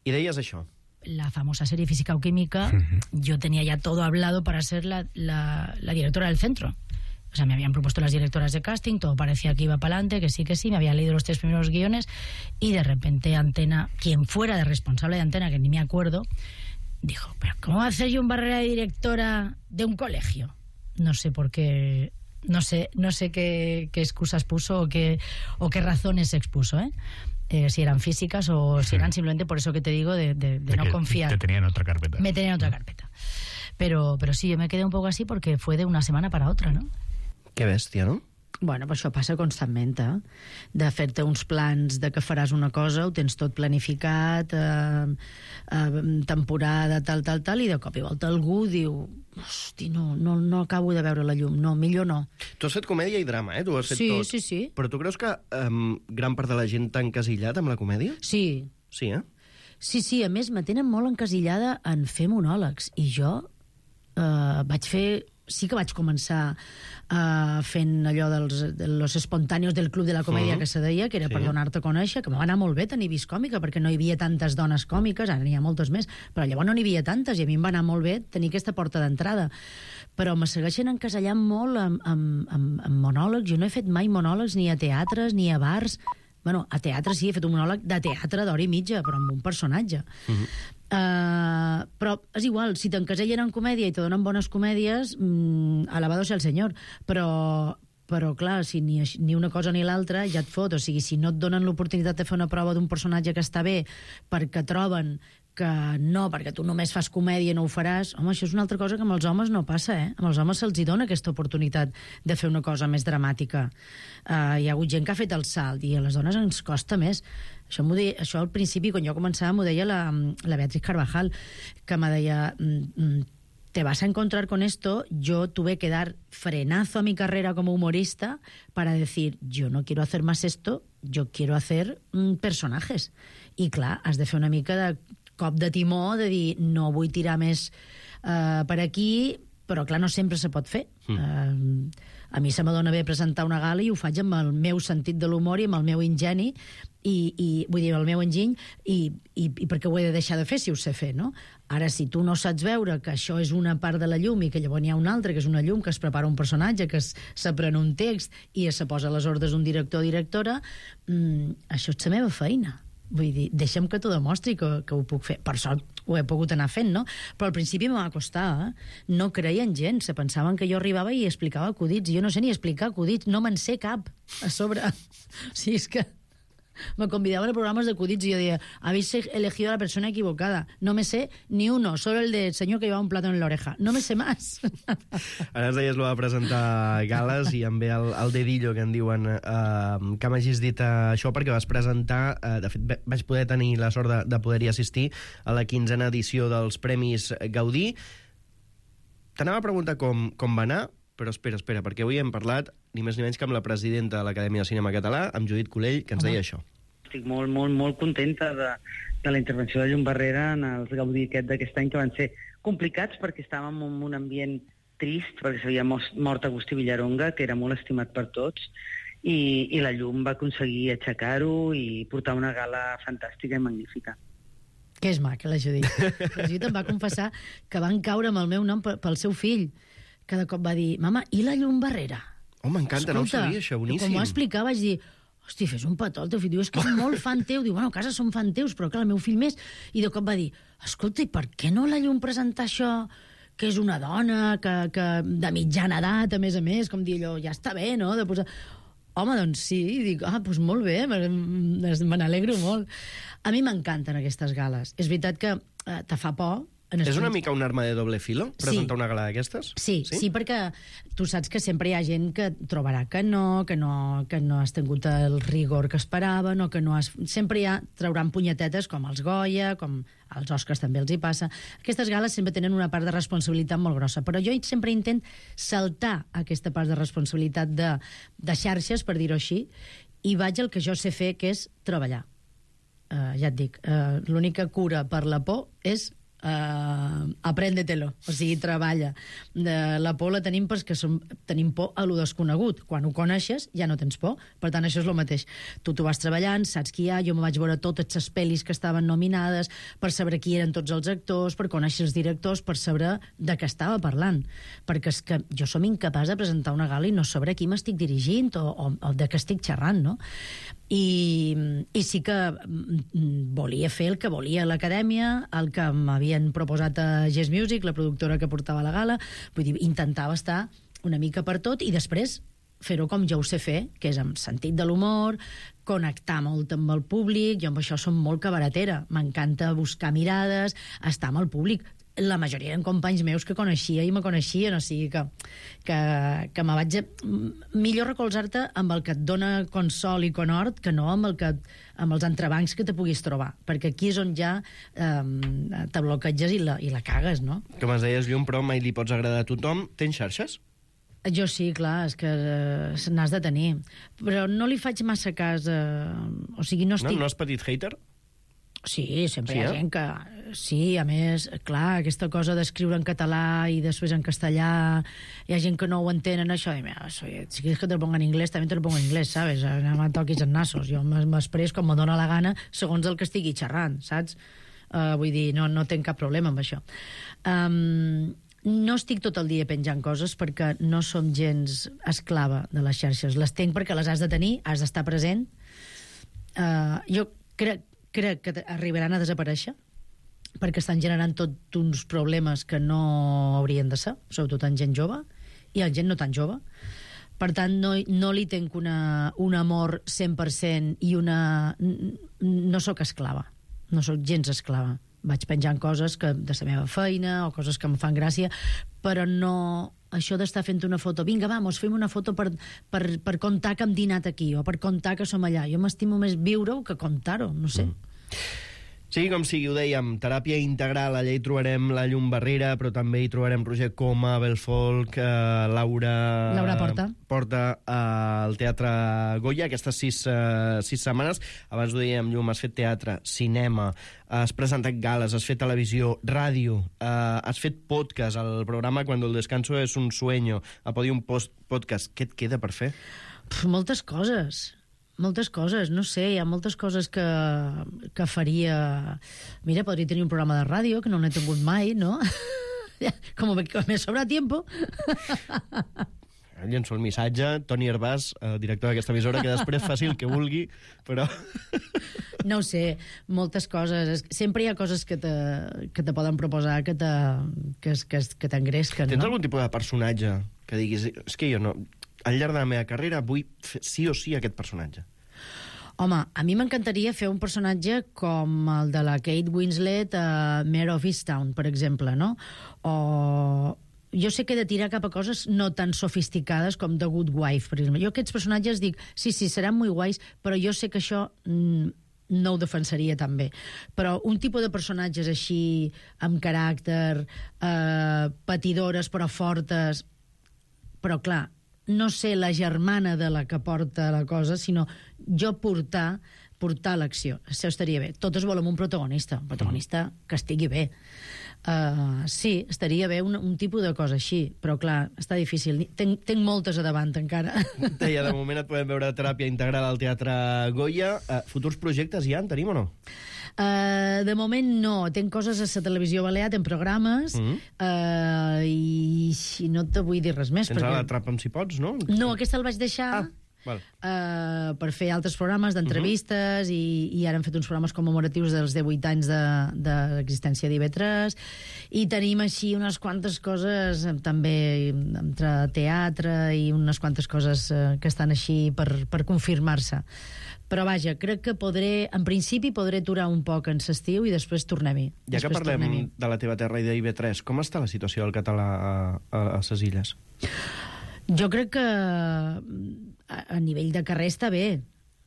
i deies això. La famosa serie Física o Química, uh-huh. yo tenía ya todo hablado para ser la, la, la directora del centro. O sea, me habían propuesto las directoras de casting, todo parecía que iba para adelante, que sí, que sí, me había leído los tres primeros guiones y de repente Antena, quien fuera de responsable de Antena, que ni me acuerdo, dijo, pero ¿cómo va a ser yo un Barrera de directora de un colegio? No sé por qué, no sé, no sé qué, qué excusas puso o qué, o qué razones expuso, ¿eh? Eh, si eran físicas o si eran simplemente por eso que te digo de, de, de, de no confiar. Te tenían en otra carpeta. Me tenían en otra carpeta. Pero, pero sí, yo me quedé un poco así porque fue de una semana para otra, ¿no? Que bèstia, no? Bueno, però això passa constantment, eh? De fer-te uns plans de que faràs una cosa, ho tens tot planificat, eh, eh, temporada, tal, tal, tal, i de cop i volta algú diu, hosti, no, no, no acabo de veure la llum, no, millor no. Tu has fet comèdia i drama, eh? Tu has fet sí, tot. Sí, sí, sí. Però tu creus que um, gran part de la gent t'ha encasillat amb la comèdia? Sí. Sí, eh? Sí, sí, a més, me tenen molt encasillada en fer monòlegs, i jo eh, vaig fer... Sí que vaig començar uh, fent allò dels de los espontáneos del Club de la Comèdia, uh-huh. que se deia, que era sí. per donar-te a conèixer, que m'ha anat molt bé tenir vist còmica, perquè no hi havia tantes dones còmiques, ara n'hi ha moltes més, però llavors no n'hi havia tantes, i a mi em va anar molt bé tenir aquesta porta d'entrada. Però me segueixen encasellant molt amb, amb, amb, amb monòlegs. Jo no he fet mai monòlegs ni a teatres, ni a bars. Bueno, a teatre sí, he fet un monòleg de teatre d'hora i mitja, però amb un personatge. Uh-huh. Uh, però és igual, si t'encasellen en comèdia i te donen bones comèdies, mm, alabado sea el senyor, però, però clar, si ni, ni una cosa ni l'altra ja et fot, o sigui, si no et donen l'oportunitat de fer una prova d'un personatge que està bé perquè troben que no, perquè tu només fas comèdia i no ho faràs, home, això és una altra cosa que amb els homes no passa, eh? Amb els homes se'ls hi dona aquesta oportunitat de fer una cosa més dramàtica. Uh, hi ha hagut gent que ha fet el salt i a les dones ens costa més. Això, deia, això al principi, quan jo començava, m'ho deia la, la Beatriz Carvajal, que me deia... te vas a encontrar con esto, yo tuve que dar frenazo a mi carrera como humorista para decir, yo no quiero hacer más esto, yo quiero hacer mm, personajes. I clar, has de fer una mica de cop de timó, de dir, no vull tirar més uh, per aquí, però clar, no sempre se pot fer. Mm. Uh, a mi se m'adona bé presentar una gala i ho faig amb el meu sentit de l'humor i amb el meu ingeni, i, i vull dir, el meu enginy, i, i, i perquè ho he de deixar de fer si ho sé fer, no? Ara, si tu no saps veure que això és una part de la llum i que llavors n'hi ha una altra, que és una llum, que es prepara un personatge, que s'aprèn un text i se posa a les ordres d'un director o directora, mmm, això és la meva feina. Vull dir, deixa'm que t'ho demostri que, que ho puc fer. Per sort ho he pogut anar fent, no? Però al principi m'ha costat, eh? No creien gens, se pensaven que jo arribava i explicava acudits. Jo no sé ni explicar acudits, no me'n sé cap a sobre. O sigui, és que me convidaban a programas de acudits y yo decía, habéis elegido a la persona equivocada. No me sé ni uno, solo el del señor que llevaba un plátano en la oreja. No me sé más. Ara ens deies, lo va presentar gales i em ve el, el dedillo que en diuen eh, que m'hagis dit eh, això perquè vas presentar, eh, de fet vaig poder tenir la sort de, de poder-hi assistir a la quinzena edició dels Premis Gaudí. T'anava a preguntar com, com va anar, però espera, espera, perquè avui hem parlat ni més ni menys que amb la presidenta de l'Acadèmia de Cinema Català, amb Judit Collell, que ens Home. deia això. Estic molt, molt, molt contenta de, de la intervenció de Llum Barrera en els Gaudí aquest d'aquest any, que van ser complicats perquè estàvem en un ambient trist, perquè s'havia mort Agustí Villaronga, que era molt estimat per tots, i, i la Llum va aconseguir aixecar-ho i portar una gala fantàstica i magnífica. Que és maca, la Judit. La Judit em va confessar que van caure amb el meu nom pel seu fill. Cada cop va dir, mama, i la Llum Barrera? Oh, m'encanta, no ho sabia, això, boníssim. Com ho va explicar, vaig dir, hosti, fes un petó al teu fill. Diu, és que és molt fan teu. Diu, bueno, a casa som fan teus, però clar, el meu fill més. I de cop va dir, escolta, i per què no la Llum presentar això, que és una dona, que, que de mitjana edat, a més a més, com dir allò, ja està bé, no?, de posar... Home, doncs sí, i dic, ah, doncs molt bé, me n'alegro molt. A mi m'encanten aquestes gales. És veritat que eh, te fa por. És una mica un arma de doble filo, presentar sí. una gala d'aquestes? Sí, sí, sí, perquè tu saps que sempre hi ha gent que trobarà que no, que no, que no has tingut el rigor que esperaven, o que no has... Sempre hi ha, trauran punyetetes com els Goya, com als Oscars també els hi passa. Aquestes gales sempre tenen una part de responsabilitat molt grossa, però jo sempre intent saltar aquesta part de responsabilitat de, de xarxes, per dir-ho així, i vaig al que jo sé fer, que és treballar. Uh, ja et dic, uh, l'única cura per la por és Uh, apréndetelo, o sigui, treballa. De la por la tenim perquè som, tenim por a lo desconegut. Quan ho coneixes ja no tens por, per tant això és el mateix. Tu t'ho vas treballant, saps qui hi ha, jo me vaig veure totes les pel·lis que estaven nominades per saber qui eren tots els actors, per conèixer els directors, per saber de què estava parlant, perquè és que jo som incapaç de presentar una gala i no saber a qui m'estic dirigint o, o, o de què estic xerrant, no? I, i sí que volia fer el que volia l'Acadèmia, el que m'havien proposat a Yes Music, la productora que portava la gala. Vull dir, intentava estar una mica per tot i després fer-ho com jo ho sé fer, que és amb sentit de l'humor, connectar molt amb el públic. Jo amb això som molt cabaretera, m'encanta buscar mirades, estar amb el públic. La majoria eren companys meus que coneixia i me coneixien, o sigui que, que, que me vaig... Millor recolzar-te amb el que et dona consol i conhort que no amb, el que, amb els entrebancs que te puguis trobar, perquè aquí és on ja eh, te bloqueges i la, i la cagues, no? Com es deies, Llum, però mai li pots agradar a tothom. Tens xarxes? Jo sí, clar, és que eh, n'has de tenir. Però no li faig massa cas... Eh, o sigui, no estic... No, no has petit hater? Sí, sempre sí, hi ha eh? gent que... Sí, a més, clar, aquesta cosa d'escriure en català i després en castellà, hi ha gent que no ho entenen, això, i mira, si quieres que te lo ponga en inglés, també te lo pongo en inglés, ¿sabes? No me toquis en nassos. Jo m'express com me dóna la gana segons el que estigui xerrant, saps? Uh, vull dir, no, no tinc cap problema amb això. Um, no estic tot el dia penjant coses perquè no som gens esclava de les xarxes. Les tenc perquè les has de tenir, has d'estar present. Uh, jo crec crec que arribaran a desaparèixer perquè estan generant tots uns problemes que no haurien de ser, sobretot en gent jove i en gent no tan jove. Per tant, no, no li tenc una, un amor cent per cent i una... No sóc esclava, no sóc gens esclava. Vaig penjant coses que, de la meva feina o coses que em fan gràcia, però no... Això d'estar fent una foto, vinga, vamos, fem una foto per, per, per contar que hem dinat aquí o per contar que som allà. Jo m'estimo més viure-ho que contar-ho, no sé. Mm. Sigui com sigui, ho dèiem, teràpia integral, allà hi trobarem la Llum Barrera, però també hi trobarem Roger Coma, Abel Folk, eh, Laura... Laura Porta. Porta eh, al Teatre Goya, aquestes sis, eh, sis setmanes. Abans ho dèiem, Llum, has fet teatre, cinema, has presentat gales, has fet televisió, ràdio, eh, has fet podcast, el programa Cuando el descanso es un sueño, a Podium Post Podcast. Què et queda per fer? Pff, moltes coses. Moltes coses, no sé, hi ha moltes coses que, que faria... Mira, podria tenir un programa de ràdio, que no n'he tingut mai, no? Com que me sobra tiempo. Llenço el missatge, Toni Hervàs, eh, director d'aquesta emissora, que després faci el que vulgui, però... No ho sé, moltes coses. Sempre hi ha coses que te, que te poden proposar, que te, que, que, que t'engresquen, Tens no? algun tipus de personatge que diguis... És que jo no... Al llarg de la meva carrera vull fer sí o sí aquest personatge. Home, a mi m'encantaria fer un personatge com el de la Kate Winslet a Mare of Easttown, per exemple, no? O... Jo sé que he de tirar cap a coses no tan sofisticades com The Good Wife, per exemple. Jo aquests personatges dic, sí, sí, seran molt guais, però jo sé que això mm, no ho defensaria tan bé. Però un tipus de personatges així, amb caràcter, eh, patidores però fortes, però clar, no ser la germana de la que porta la cosa, sinó jo portar, portar l'acció. Això estaria bé. Totes volem un protagonista, un protagonista que estigui bé. Uh, sí, estaria bé un, un tipus de cosa així, però clar, està difícil. Tenc, tenc moltes a davant encara. Deia, de moment et podem veure teràpia integral al Teatre Goya. Uh, futurs projectes ja en tenim o no? Uh, de moment no. Tenc coses a la televisió balear, tenc programes, mm -hmm. uh, i, i no te vull dir res més. Tens perquè... ara Atrapa'm si pots, no? No, aquesta el vaig deixar... Ah. Val. Uh, per fer altres programes d'entrevistes, uh -huh. i, i ara hem fet uns programes commemoratius dels divuit anys de, de l'existència d'I V tres, i tenim així unes quantes coses també entre teatre i unes quantes coses uh, que estan així per, per confirmar-se. Però vaja, crec que podré, en principi podré aturar un poc en l'estiu i després tornem-hi. Ja que parlem de la teva terra i d'I V tres, com està la situació del català a, a les illes? Jo crec que a, a nivell de carrer està bé.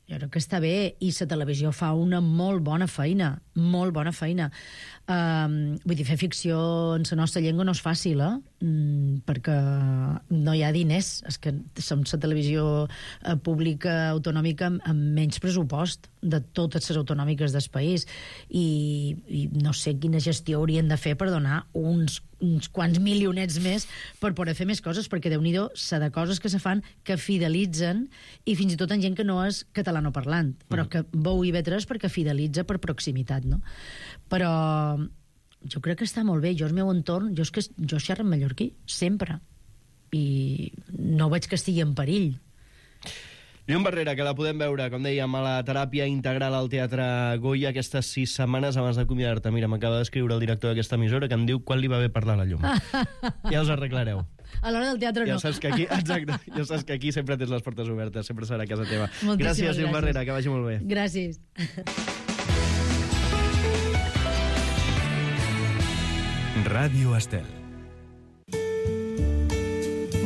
Jo crec que està bé, i la televisió fa una molt bona feina, molt bona feina. Um, vull dir, fer ficció en la nostra llengua no és fàcil, eh? Mm, perquè no hi ha diners. És que som la televisió eh, pública autonòmica amb, amb menys pressupost de totes les autonòmiques del país, i, i no sé quina gestió haurien de fer per donar uns uns quants milionets més per poder fer més coses, perquè Déu-n'hi-do, s'ha de coses que se fan que fidelitzen, i fins i tot en gent que no és catalanoparlant, però que veu I V tres perquè fidelitza per proximitat, no? Però jo crec que està molt bé. Jo, al meu entorn, jo és que jo xerro en mallorquí, sempre, i no veig que estigui en perill. Llum Barrera, que la podem veure, com dèiem, a la teràpia integral al Teatre Goya aquestes sis setmanes abans d'acomiadar-te. Mira, m'acaba d'escriure el director d'aquesta emissora que em diu quan li va bé parlar a la Llum. Ja us arreglareu. A l'hora del teatre ja no. Saps que aquí, exacte, ja saps que aquí sempre tens les portes obertes, sempre serà a casa teva. Moltíssimes gràcies, Llum Barrera, que vagi molt bé. Gràcies. Ràdio Estel.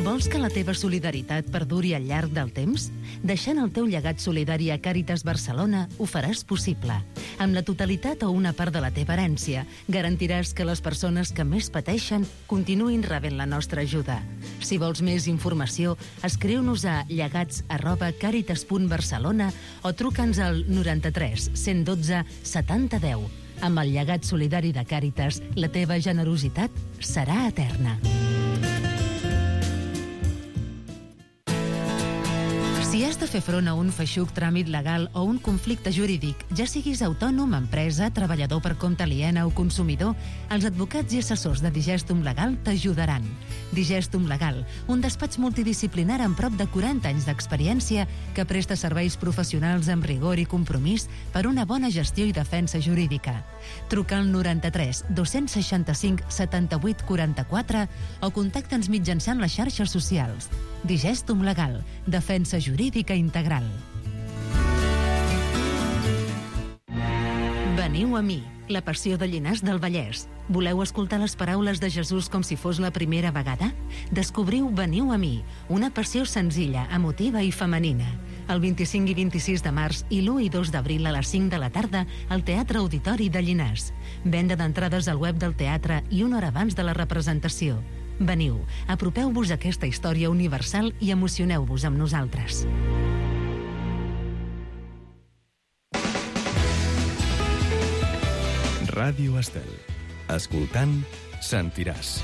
Vols que la teva solidaritat perduri al llarg del temps? Deixant el teu llegat solidari a Càritas Barcelona ho faràs possible. Amb la totalitat o una part de la teva herència, garantiràs que les persones que més pateixen continuïn rebent la nostra ajuda. Si vols més informació, escriu-nos a llegats arroba càritas punt barcelona o truca'ns al noranta-tres cent dotze setanta deu. Amb el llegat solidari de Càritas, la teva generositat serà eterna. Si has de fer front a un feixuc tràmit legal o un conflicte jurídic, ja siguis autònom, empresa, treballador per compte aliena o consumidor, els advocats i assessors de Digestum Legal t'ajudaran. Digestum Legal, un despatx multidisciplinar amb prop de quaranta anys d'experiència que presta serveis professionals amb rigor i compromís per una bona gestió i defensa jurídica. Truca al noranta-tres dos-cents seixanta-cinc setanta-vuit quaranta-quatre o contacta'ns mitjançant les xarxes socials. Digestum Legal, defensa jurídica integral. Veniu a mi, la passió de Llinars del Vallès. Voleu escoltar les paraules de Jesús com si fos la primera vegada? Descobriu Veniu a mi, una passió senzilla, emotiva i femenina. El vint-i-cinc i vint-i-sis de març i l'u i dos d'abril a les cinc de la tarda al Teatre Auditori de Llinars. Venda d'entrades al web del teatre i una hora abans de la representació. Veniu, apropeu-vos a aquesta història universal i emocioneu-vos amb nosaltres. Ràdio Estel. Escoltant, sentiràs.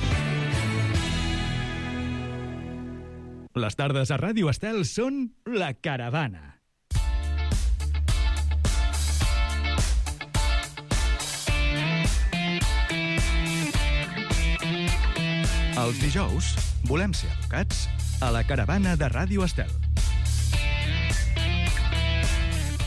Les tardes a Ràdio Estel són La Caravana. Els dijous volem ser educats a La Caravana de Ràdio Estel.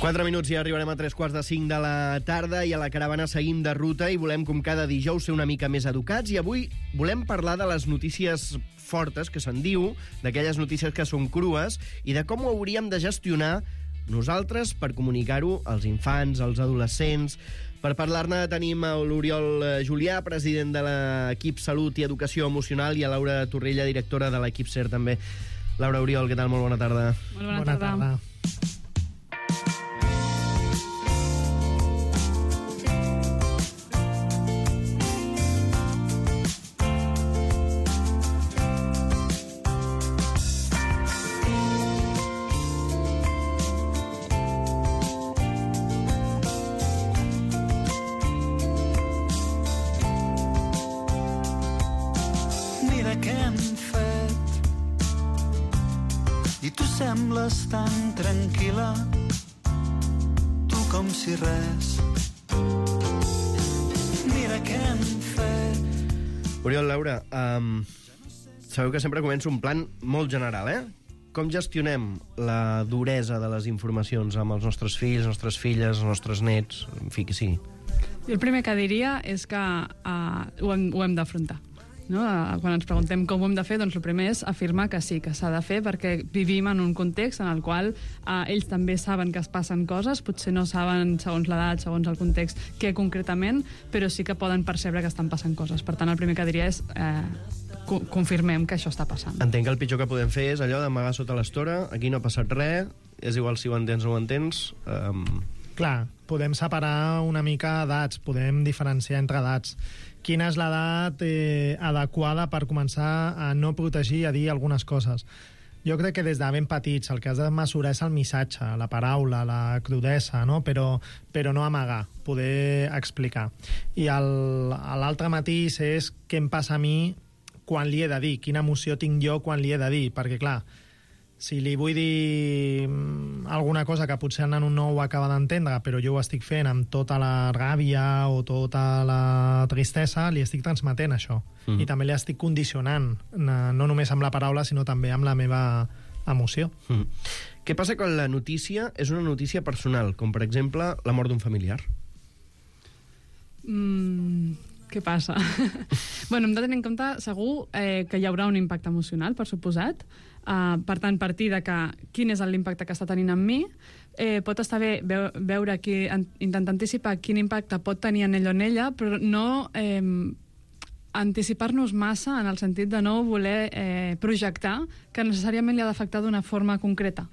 Quatre minuts i arribarem a tres quarts de cinc de la tarda i a La Caravana seguim de ruta i volem, com cada dijous, ser una mica més educats i avui volem parlar de les notícies fortes, que se'n diu, d'aquelles notícies que són crues i de com ho hauríem de gestionar nosaltres per comunicar-ho als infants, als adolescents. Per parlar-ne tenim a l'Oriol Julià, president de l'equip Salut i Educació Emocional, i a Laura Torrella, directora de l'equip SER també. Laura, Oriol, què tal? Molt bona tarda. Molt bona, bona tarda. tarda. Sembles tan tranquil·la, tu com si res. Mira què hem fet. Oriol, Laura, um, sabeu que sempre començo un plan molt general, eh? Com gestionem la duresa de les informacions amb els nostres fills, nostres filles, els nostres nets, en fi, que sigui? Jo el primer que diria és que uh, ho hem, ho hem d'afrontar. No? Quan ens preguntem com ho hem de fer, doncs el primer és afirmar que sí, que s'ha de fer, perquè vivim en un context en el qual eh, ells també saben que es passen coses, potser no saben, segons l'edat, segons el context, què concretament, però sí que poden percebre que estan passant coses. Per tant, el primer que diria és eh, co confirmem que això està passant. Entenc que el pitjor que podem fer és allò d'amagar sota l'estora, aquí no ha passat res, és igual si ho entens o ho entens... Um... Clar, podem separar una mica edats, podem diferenciar entre edats. Quina és l'edat eh, adequada per començar a no protegir i a dir algunes coses? Jo crec que des de ben petits el que has de mesurar és el missatge, la paraula, la crudesa, no? però, però no amagar, poder explicar. I l'altre matís és què em passa a mi quan li he de dir, quina emoció tinc jo quan li he de dir, perquè clar, si li vull dir alguna cosa que potser el nano no ho acaba d'entendre, però jo ho estic fent amb tota la ràbia o tota la tristesa, li estic transmetent això. Mm. I també li estic condicionant, no només amb la paraula, sinó també amb la meva emoció. Mm. Què passa quan la notícia és una notícia personal, com per exemple la mort d'un familiar? Mm, què passa? Bueno, hem de tenir en compte, segur, eh, que hi haurà un impacte emocional, per suposat. Uh, per tant, partir de que, quin és l'impacte que està tenint en mi, eh, pot estar bé veu, veure qui, en, intentar anticipar quin impacte pot tenir en ell o en ella, però no eh, anticipar-nos massa en el sentit de no voler eh, projectar que necessàriament li ha d'afectar d'una forma concreta.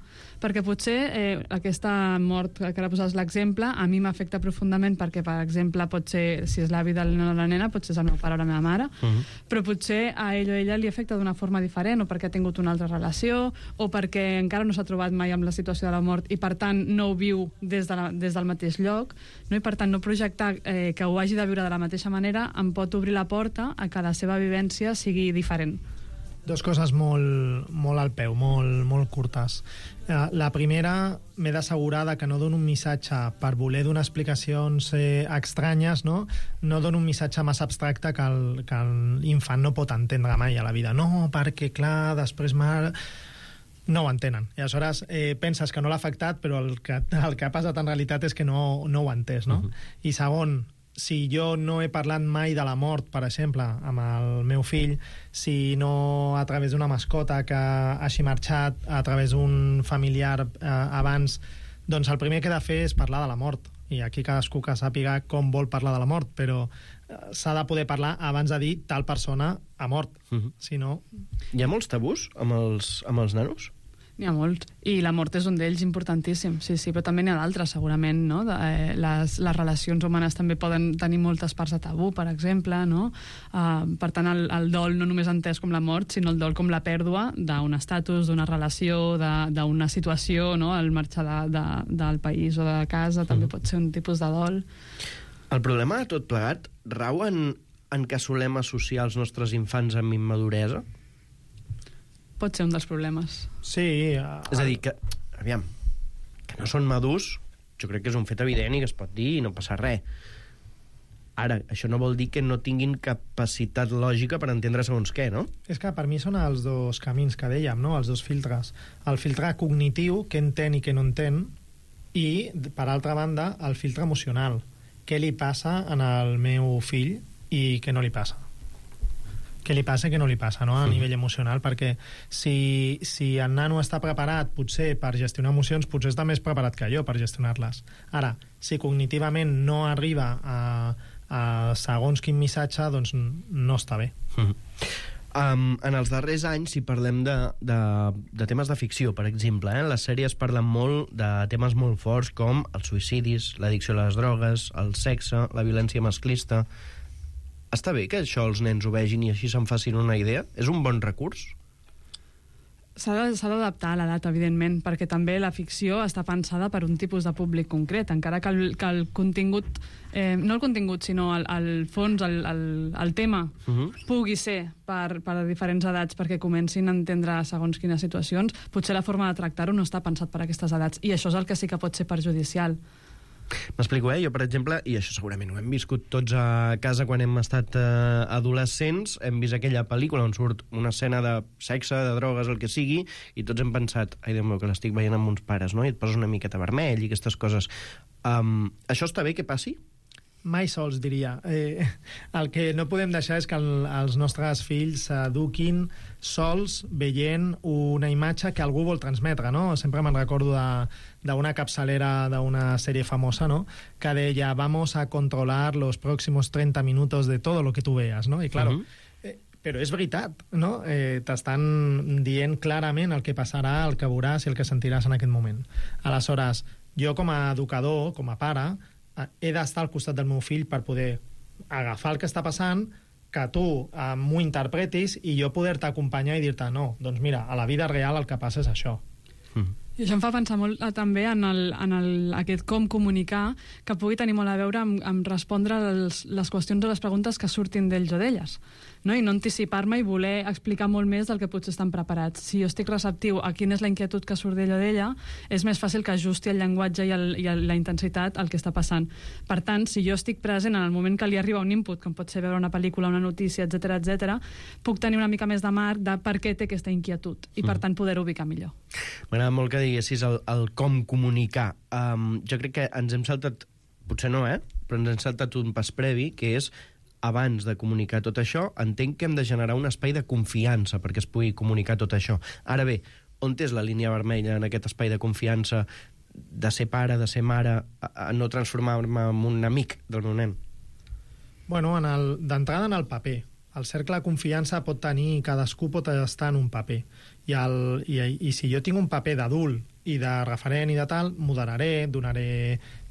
Perquè potser eh, aquesta mort que ara poses l'exemple a mi m'afecta profundament perquè, per exemple, pot ser, si és l'avi del nen o la nena, potser és el meu pare o la meva mare, uh -huh. però potser a ell o ella li afecta d'una forma diferent, o perquè ha tingut una altra relació, o perquè encara no s'ha trobat mai amb la situació de la mort i, per tant, no ho viu des, de la, des del mateix lloc, no? I, per tant, no projectar eh, que ho hagi de viure de la mateixa manera em pot obrir la porta a que la seva vivència sigui diferent. Dos coses molt, molt al peu, molt, molt curtes. La primera, m'he d'assegurar que no dono un missatge per voler donar explicacions eh, estranyes, no? No dono un missatge massa abstracte que el, que l'infant no pot entendre mai a la vida. No, perquè, clar, després m'ha... No ho entenen. I aleshores eh, penses que no l'ha afectat, però el que, el que ha passat en realitat és que no, no ho ha entès, no? Uh-huh. I segon, si jo no he parlat mai de la mort, per exemple, amb el meu fill, si no a través d'una mascota que hagi marxat, a través d'un familiar eh, abans, doncs el primer que he de fer és parlar de la mort. i aquí cadascú que sàpiga com vol parlar de la mort, però s'ha de poder parlar abans de dir tal persona ha mort. Uh-huh. Si no... Hi ha molts tabús amb els, amb els nanos? N'hi ha molts, i la mort és un d'ells importantíssim, sí, sí, però també n'hi ha d'altres, segurament, no? De, eh, les, les relacions humanes també poden tenir moltes parts de tabú, per exemple, no? Uh, per tant, el, el dol no només entès com la mort, sinó el dol com la pèrdua d'un estatus, d'una relació, d'una situació, no? El marxar de, de, del país o de casa també mm. pot ser un tipus de dol. El problema de tot plegat rau en, en que solem associar els nostres infants amb immaduresa? Pot ser un dels problemes. Sí. Uh, és a dir, que, aviam, que no són madurs, jo crec que és un fet evident i que es pot dir i no passa res. Ara, això no vol dir que no tinguin capacitat lògica per entendre segons què, no? És que per mi són els dos camins que dèiem, no? Els dos filtres. El filtre cognitiu, què entén i què no entén, i, per altra banda, el filtre emocional. Què li passa en el meu fill i què no li passa? Què li passa i què no li passa, no? A nivell emocional, perquè si, si el nano està preparat potser per gestionar emocions, potser està més preparat que jo per gestionar-les. Ara, si cognitivament no arriba a, a segons quin missatge, doncs no està bé. Mm. Um, en els darrers anys, si parlem de, de, de temes de ficció, per exemple, eh? Les sèries parlen molt de temes molt forts com els suïcidis, l'addicció a les drogues, el sexe, la violència masclista. Està bé que això els nens ho vegin i així se'n facin una idea? És un bon recurs? S'ha d'adaptar a l'edat, evidentment, perquè també la ficció està pensada per un tipus de públic concret, encara que el, que el contingut, eh, no el contingut, sinó el, el fons, el, el, el tema, uh-huh. pugui ser per, per a diferents edats perquè comencin a entendre segons quines situacions, potser la forma de tractar-ho no està pensat per a aquestes edats, i això és el que sí que pot ser perjudicial. M'explico, eh? Jo, per exemple, i això segurament ho hem viscut tots a casa quan hem estat eh, adolescents, hem vist aquella pel·lícula on surt una escena de sexe, de drogues, el que sigui, i tots hem pensat, ai, Déu meu, que l'estic veient amb uns pares, no? I et poses una miqueta vermell i aquestes coses. Um, això està bé que passi? Mai sols, diria. Eh, el que no podem deixar és que el, els nostres fills s'eduquin sols veient una imatge que algú vol transmetre, no? Sempre me'n recordo d'una capçalera d'una sèrie famosa, no? Que deia, vamos a controlar los próximos treinta minutos de todo lo que tú veas, no? I claro, uh-huh. eh, però és veritat, no? Eh, t'estan dient clarament el que passarà, el que veuràs i el que sentiràs en aquest moment. Aleshores, jo com a educador, com a pare, he d'estar al costat del meu fill per poder agafar el que està passant, que tu eh, m'ho interpretis i jo poder-te acompanyar i dir-te no, doncs mira, a la vida real el que passa és això. Mm. I això em fa pensar molt eh, també en, el, en el, aquest com comunicar, que pugui tenir molt a veure amb, amb respondre les, les qüestions o les preguntes que surtin d'ells o d'elles, no? I no anticipar-me i voler explicar molt més del que potser estan preparats. Si jo estic receptiu a quina és la inquietud que surt d'ell o d'ella, és més fàcil que ajusti el llenguatge i, el, i el, la intensitat al que està passant. Per tant, si jo estic present en el moment que li arriba un input, com pot ser veure una pel·lícula, una notícia, etcètera, etcètera, puc tenir una mica més de marc de per què té aquesta inquietud i, per tant, poder ubicar millor. M'agrada molt que diguessis el, el com comunicar. Um, jo crec que ens hem saltat, potser no, eh? Però ens hem saltat un pas previ, que és abans de comunicar tot això, entenc que hem de generar un espai de confiança perquè es pugui comunicar tot això. Ara bé, on és la línia vermella en aquest espai de confiança de ser pare, de ser mare, a, a no transformar-me en un amic del meu nen? Bueno, d'entrada en el paper. El cercle de confiança pot tenir, cadascú pot estar en un paper. I, el, i, i si jo tinc un paper d'adult i de referent i de tal, moderaré, donaré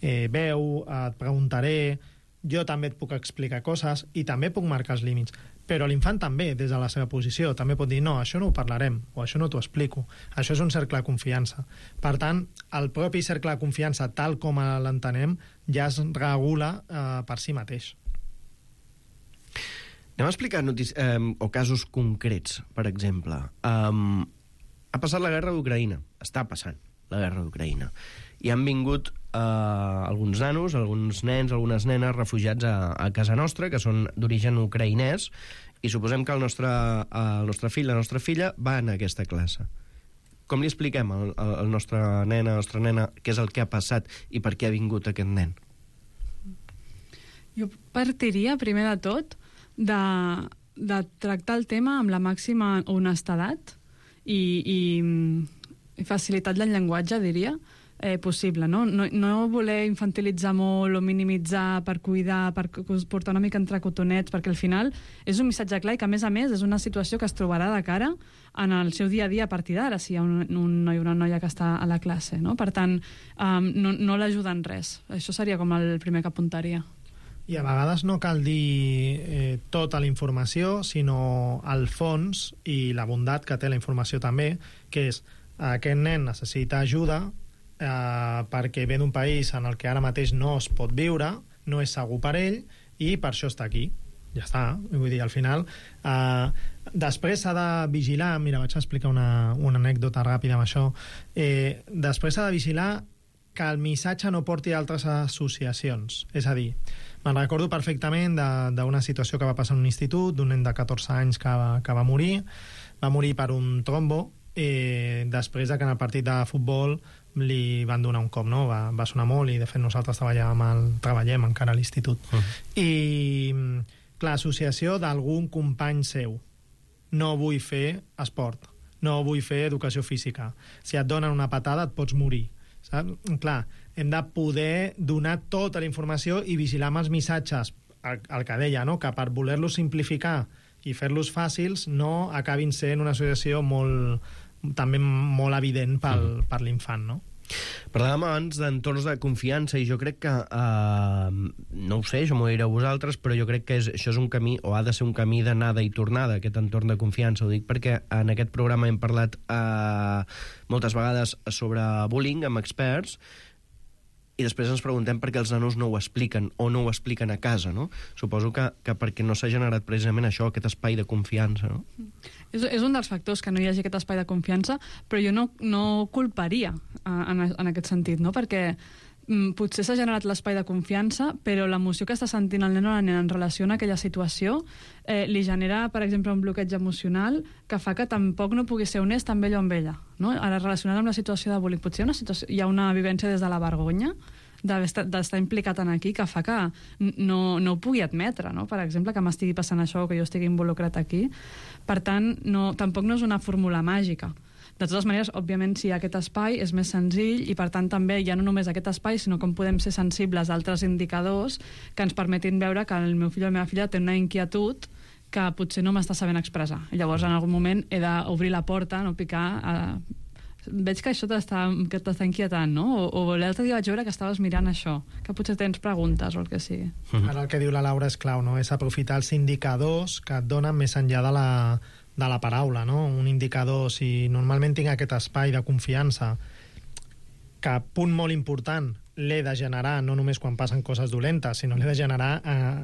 eh, veu, et preguntaré, jo també et puc explicar coses i també puc marcar els límits. Però l'infant també, des de la seva posició, també pot dir, no, això no ho parlarem, o això no t'ho explico. Això és un cercle de confiança. Per tant, el propi cercle de confiança, tal com l'entenem, ja es regula eh, per si mateix. Anem a explicar notícies, eh, o casos concrets, per exemple. Um, ha passat la guerra d'Ucraïna. Està passant la guerra d'Ucraïna. I han vingut eh, alguns nanos, alguns nens, algunes nenes refugiats a, a casa nostra, que són d'origen ucraïnès, i suposem que el nostre, el nostre fill, la nostra filla, va en aquesta classe. Com li expliquem al, al nostre nen, a la nostra nena, què és el que ha passat i per què ha vingut aquest nen? Jo partiria, primer de tot, de, de tractar el tema amb la màxima honestedat i, i, i facilitat del llenguatge, diria. eh, possible, no? No, no voler infantilitzar molt o minimitzar per cuidar, per portar una mica entre cotonets, perquè al final és un missatge clar i que, a més a més, és una situació que es trobarà de cara en el seu dia a dia a partir d'ara, si hi ha un, un noi o una noia que està a la classe, no? Per tant, um, no, no l'ajuda en res. Això seria com el primer que apuntaria. I a vegades no cal dir eh, tota la informació, sinó el fons i la bondat que té la informació també, que és aquest nen necessita ajuda eh, perquè ve d'un país en el que ara mateix no es pot viure, no és segur per ell, i per això està aquí. Ja està. Vull dir, al final... Eh, després s'ha de vigilar... Mira, vaig explicar una, una anècdota ràpida amb això. Eh, després s'ha de vigilar que el missatge no porti a altres associacions. És a dir, me'n recordo perfectament d'una situació que va passar en un institut, d'un nen de catorze anys que va, que va morir. Va morir per un trombo, eh, després de que en el partit de futbol li van donar un cop, no? Va, va sonar molt, i de fet nosaltres treballàvem, el, treballem encara a l'institut. Uh -huh. I, clar, associació d'algun company seu. No vull fer esport, no vull fer educació física. Si et donen una patada et pots morir. Saps? Clar, hem de poder donar tota la informació i vigilar amb els missatges, el, el que deia, no? Que per voler-los simplificar i fer-los fàcils no acabin sent una associació molt, també molt evident pel, per l'infant, no? Parlàvem abans d'entorns de confiança i jo crec que, eh, no ho sé, això m'ho diré a vosaltres, però jo crec que és, això és un camí, o ha de ser un camí d'anada i tornada, aquest entorn de confiança. Ho dic perquè en aquest programa hem parlat eh, moltes vegades sobre bullying amb experts, i després ens preguntem per què els nanos no ho expliquen o no ho expliquen a casa, no? Suposo que, que perquè no s'ha generat precisament això, aquest espai de confiança, no? És, és un dels factors que no hi hagi aquest espai de confiança, però jo no, no culparia en, en aquest sentit, no? Perquè mm, potser s'ha generat l'espai de confiança, però l'emoció que està sentint el nen o la nena en relació a aquella situació eh, li genera, per exemple, un bloqueig emocional que fa que tampoc no pugui ser honest amb ell o amb ella, no? Ara, relacionat amb la situació de bullying, potser hi ha una, situació, hi ha una vivència des de la vergonya d'estar implicat en aquí que fa que no, no ho pugui admetre, no? Per exemple, que m'estigui passant això o que jo estigui involucrat aquí. Per tant, no, tampoc no és una fórmula màgica. De totes maneres, òbviament, si hi ha aquest espai és més senzill i, per tant, també ja no només aquest espai, sinó com podem ser sensibles a altres indicadors que ens permetin veure que el meu fill o la meva filla té una inquietud que potser no m'està sabent expressar. I llavors, en algun moment, he d'obrir la porta, no picar... A... Veig que això t'està inquietant, no? O, o l'altre dia vaig veure que estaves mirant això, que potser tens preguntes o el que sigui. Ara el que diu la Laura és clau, no? És aprofitar els indicadors que et donen més enllà de la, de la paraula, no? Un indicador, si normalment tinc aquest espai de confiança, que, punt molt important, l'he de generar no només quan passen coses dolentes, sinó l'he de generar eh,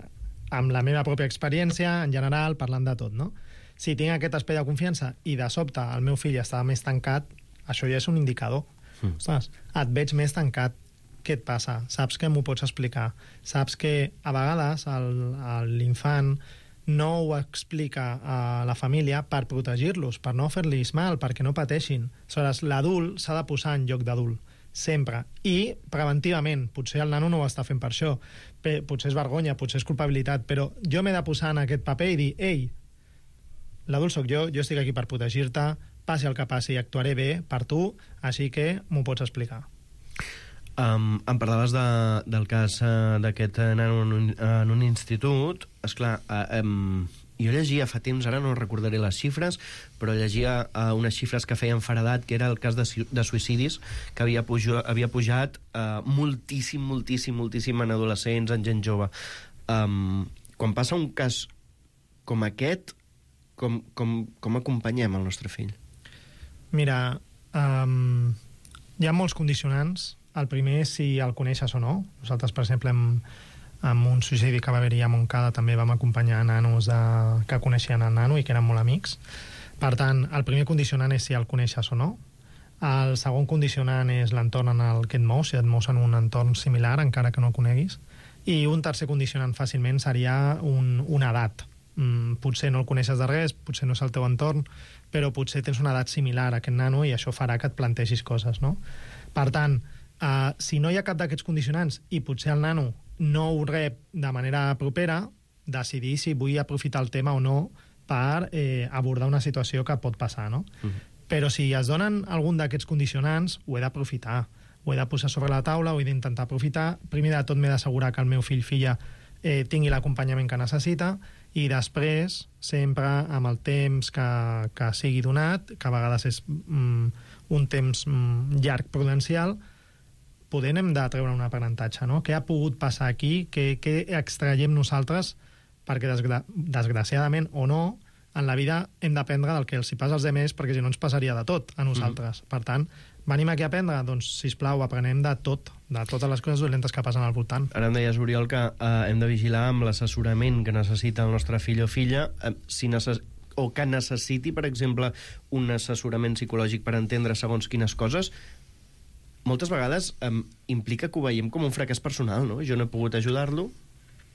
amb la meva pròpia experiència, en general, parlant de tot, no? Si tinc aquest espai de confiança i de sobte el meu fill està més tancat, això ja és un indicador. Mm. Ostres, et veig més tancat. Què et passa? Saps que m'ho pots explicar? Saps que a vegades l'infant no ho explica a la família per protegir-los, per no fer-los mal, perquè no pateixin. Aleshores, l'adult s'ha de posar en lloc d'adult, sempre. I preventivament. Potser el nano no ho està fent per això. Potser és vergonya, potser és culpabilitat, però jo m'he de posar en aquest paper i dir, ei, l'adult sóc jo, jo estic aquí per protegir-te, passi el que passi, actuaré bé per tu, així que m'ho pots explicar. Um, em parlaves de, del cas uh, d'aquest nano en un, en un institut. Esclar, uh, um, jo llegia fa temps, ara no recordaré les xifres, però llegia uh, unes xifres que feien feredat, que era el cas de, de suïcidis, que havia, pujo, havia pujat uh, moltíssim, moltíssim, moltíssim en adolescents, en gent jove. Um, quan passa un cas com aquest, com, com, com acompanyem el nostre fill? Mira, um, hi ha molts condicionants. El primer és si el coneixes o no. Nosaltres, per exemple, amb, amb un suïcidi que va haver-hi a Montcada també vam acompanyar nanos de, que coneixien el nano i que eren molt amics. Per tant, el primer condicionant és si el coneixes o no. El segon condicionant és l'entorn en el que et mous, si et mous en un entorn similar, encara que no el coneguis. I un tercer condicionant fàcilment seria un, una edat. Mm, potser no el coneixes de res, potser no és el teu entorn, però potser tens una edat similar a aquest nano i això farà que et plantegis coses, no? Per tant, eh, si no hi ha cap d'aquests condicionants i potser el nano no ho rep de manera propera, decidir si vull aprofitar el tema o no per eh, abordar una situació que pot passar, no? Uh-huh. Però si es donen algun d'aquests condicionants, ho he d'aprofitar. ho he de posar sobre la taula, ho he d'intentar aprofitar. Primer de tot m'he d'assegurar que el meu fill, filla, eh, tingui l'acompanyament que necessita, i després, sempre amb el temps que, que sigui donat, que a vegades és mm, un temps mm, llarg prudencial, poder hem de treure un aprenentatge, no? Què ha pogut passar aquí? Què, què extraiem nosaltres? Perquè desgra desgraciadament o no, en la vida hem d'aprendre del que els hi passa als altres, perquè si no ens passaria de tot a nosaltres. Mm. Per tant, venim aquí a aprendre? Doncs, sisplau, aprenem de tot, de totes les coses dolentes que passen al voltant. Ara em deies, Oriol, que eh, hem de vigilar amb l'assessorament que necessita el nostre fill o filla, eh, si necess... o que necessiti, per exemple, un assessorament psicològic per entendre segons quines coses. Moltes vegades eh, implica que ho veiem com un fracàs personal, no? Jo no he pogut ajudar-lo,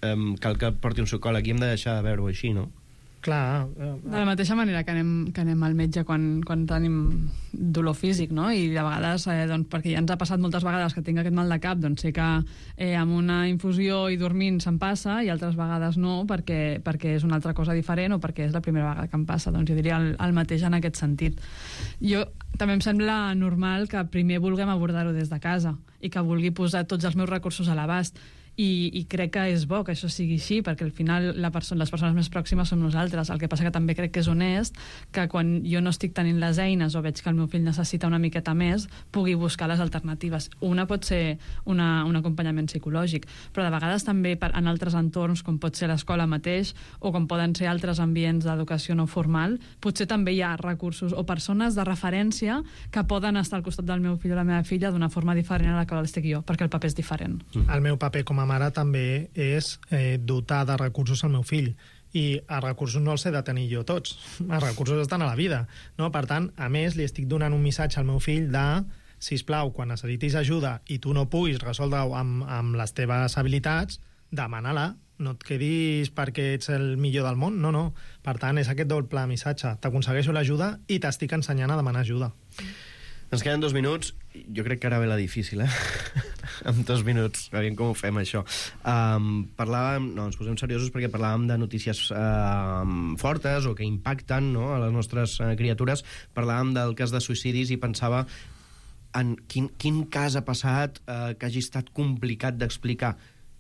eh, cal que porti un psicòleg i hem de deixar de veure-ho així, no? Clar. De la mateixa manera que anem, que anem al metge quan, quan tenim dolor físic, no? I de vegades, eh, doncs, perquè ja ens ha passat moltes vegades que tinc aquest mal de cap, doncs sé que eh, amb una infusió i dormint se'm passa, i altres vegades no, perquè, perquè és una altra cosa diferent o perquè és la primera vegada que em passa. Doncs jo diria el, el mateix en aquest sentit. Jo també em sembla normal que primer vulguem abordar-ho des de casa i que vulgui posar tots els meus recursos a l'abast. I, i crec que és bo que això sigui així, perquè al final la perso les persones més pròximes som nosaltres. El que passa que també crec que és honest que quan jo no estic tenint les eines o veig que el meu fill necessita una miqueta més, pugui buscar les alternatives. Una pot ser una, un acompanyament psicològic, però de vegades també per, en altres entorns, com pot ser l'escola mateix o com poden ser altres ambients d'educació no formal, potser també hi ha recursos o persones de referència que poden estar al costat del meu fill o la meva filla d'una forma diferent a la que l'estic jo, perquè el paper és diferent. El meu paper com a mare també és eh, dotar de recursos al meu fill, i els recursos no els he de tenir jo tots, els recursos estan a la vida, no? Per tant, a més, li estic donant un missatge al meu fill de, sisplau, quan necessitis ajuda i tu no puguis resoldre-ho amb, amb les teves habilitats, demana-la, no et quedis perquè ets el millor del món, no, no. Per tant, és aquest doble missatge, t'aconsegueixo l'ajuda i t'estic ensenyant a demanar ajuda. Ens queden dos minuts. Jo crec que ara ve la difícil, eh? En dos minuts. Aviam com ho fem, això. Um, parlàvem... No, ens posem seriosos perquè parlàvem de notícies uh, fortes o que impacten, no?, a les nostres uh, criatures. Parlàvem del cas de suïcidis i pensava en quin, quin cas ha passat uh, que hagi estat complicat d'explicar.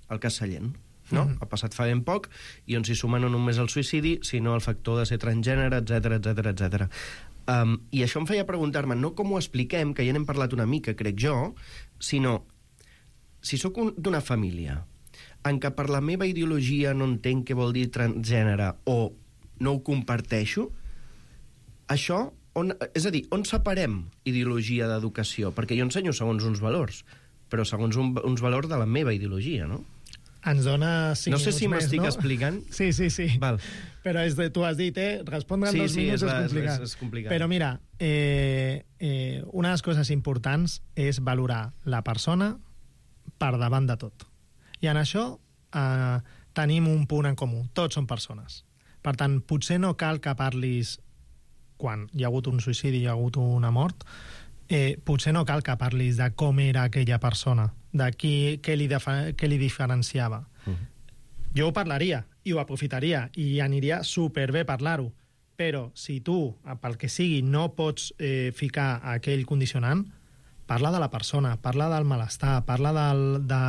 El cas Sallent, no? Mm-hmm. Ha passat fa ben poc, i on s'hi suma no només el suïcidi, sinó el factor de ser transgènere, etcètera, etcètera, etcètera. Um, I això em feia preguntar-me, no com ho expliquem, que ja n'hem parlat una mica, crec jo, sinó, si sóc d'una família en què per la meva ideologia no entenc què vol dir transgènere o no ho comparteixo, això, on, és a dir, on separem ideologia d'educació? Perquè jo ensenyo segons uns valors, però segons un, uns valors de la meva ideologia, no? Ens dona cinc No sé si m'estic no? explicant. Sí, sí, sí. Val. Però és de, tu has dit, eh? Respondre en sí, dos sí, minuts és, és, la, complicat. és, és complicat. Però mira, eh, eh, una de les coses importants és valorar la persona per davant de tot. I en això eh, tenim un punt en comú. Tots som persones. Per tant, potser no cal que parlis quan hi ha hagut un suïcidi, hi ha hagut una mort, eh, potser no cal que parlis de com era aquella persona, de qui, què, li què li diferenciava. Uh-huh. Jo ho parlaria i ho aprofitaria i aniria superbé parlar-ho, però si tu, pel que sigui, no pots eh, ficar aquell condicionant, parla de la persona, parla del malestar, parla del, de,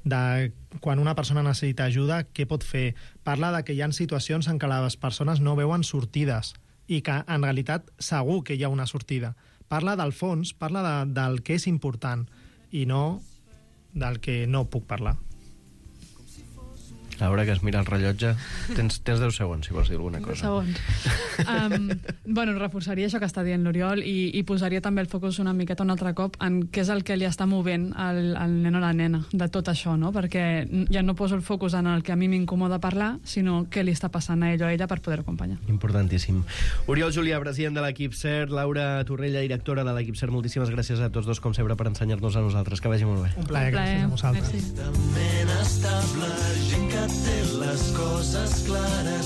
de quan una persona necessita ajuda, què pot fer, parla de que hi ha situacions en què les persones no veuen sortides i que en realitat segur que hi ha una sortida. Parla del fons, parla de, del que és important i no del que no puc parlar. Laura, que es mira el rellotge. Tens, tens deu segons, si vols dir alguna cosa. deu segons. Um, bueno, reforçaria això que està dient l'Oriol i, i posaria també el focus una miqueta un altre cop en què és el que li està movent al, al nen o la nena de tot això, no? Perquè ja no poso el focus en el que a mi m'incomoda parlar, sinó què li està passant a ell o a ella per poder acompanyar. Importantíssim. Oriol Julià, president de l'equip CERT, Laura Torrella, directora de l'equip CERT, moltíssimes gràcies a tots dos, com sempre, per ensenyar-nos a nosaltres. Que vagi molt bé. Un plaer, gràcies a vosaltres. Ment estable, gent que té les coses clares.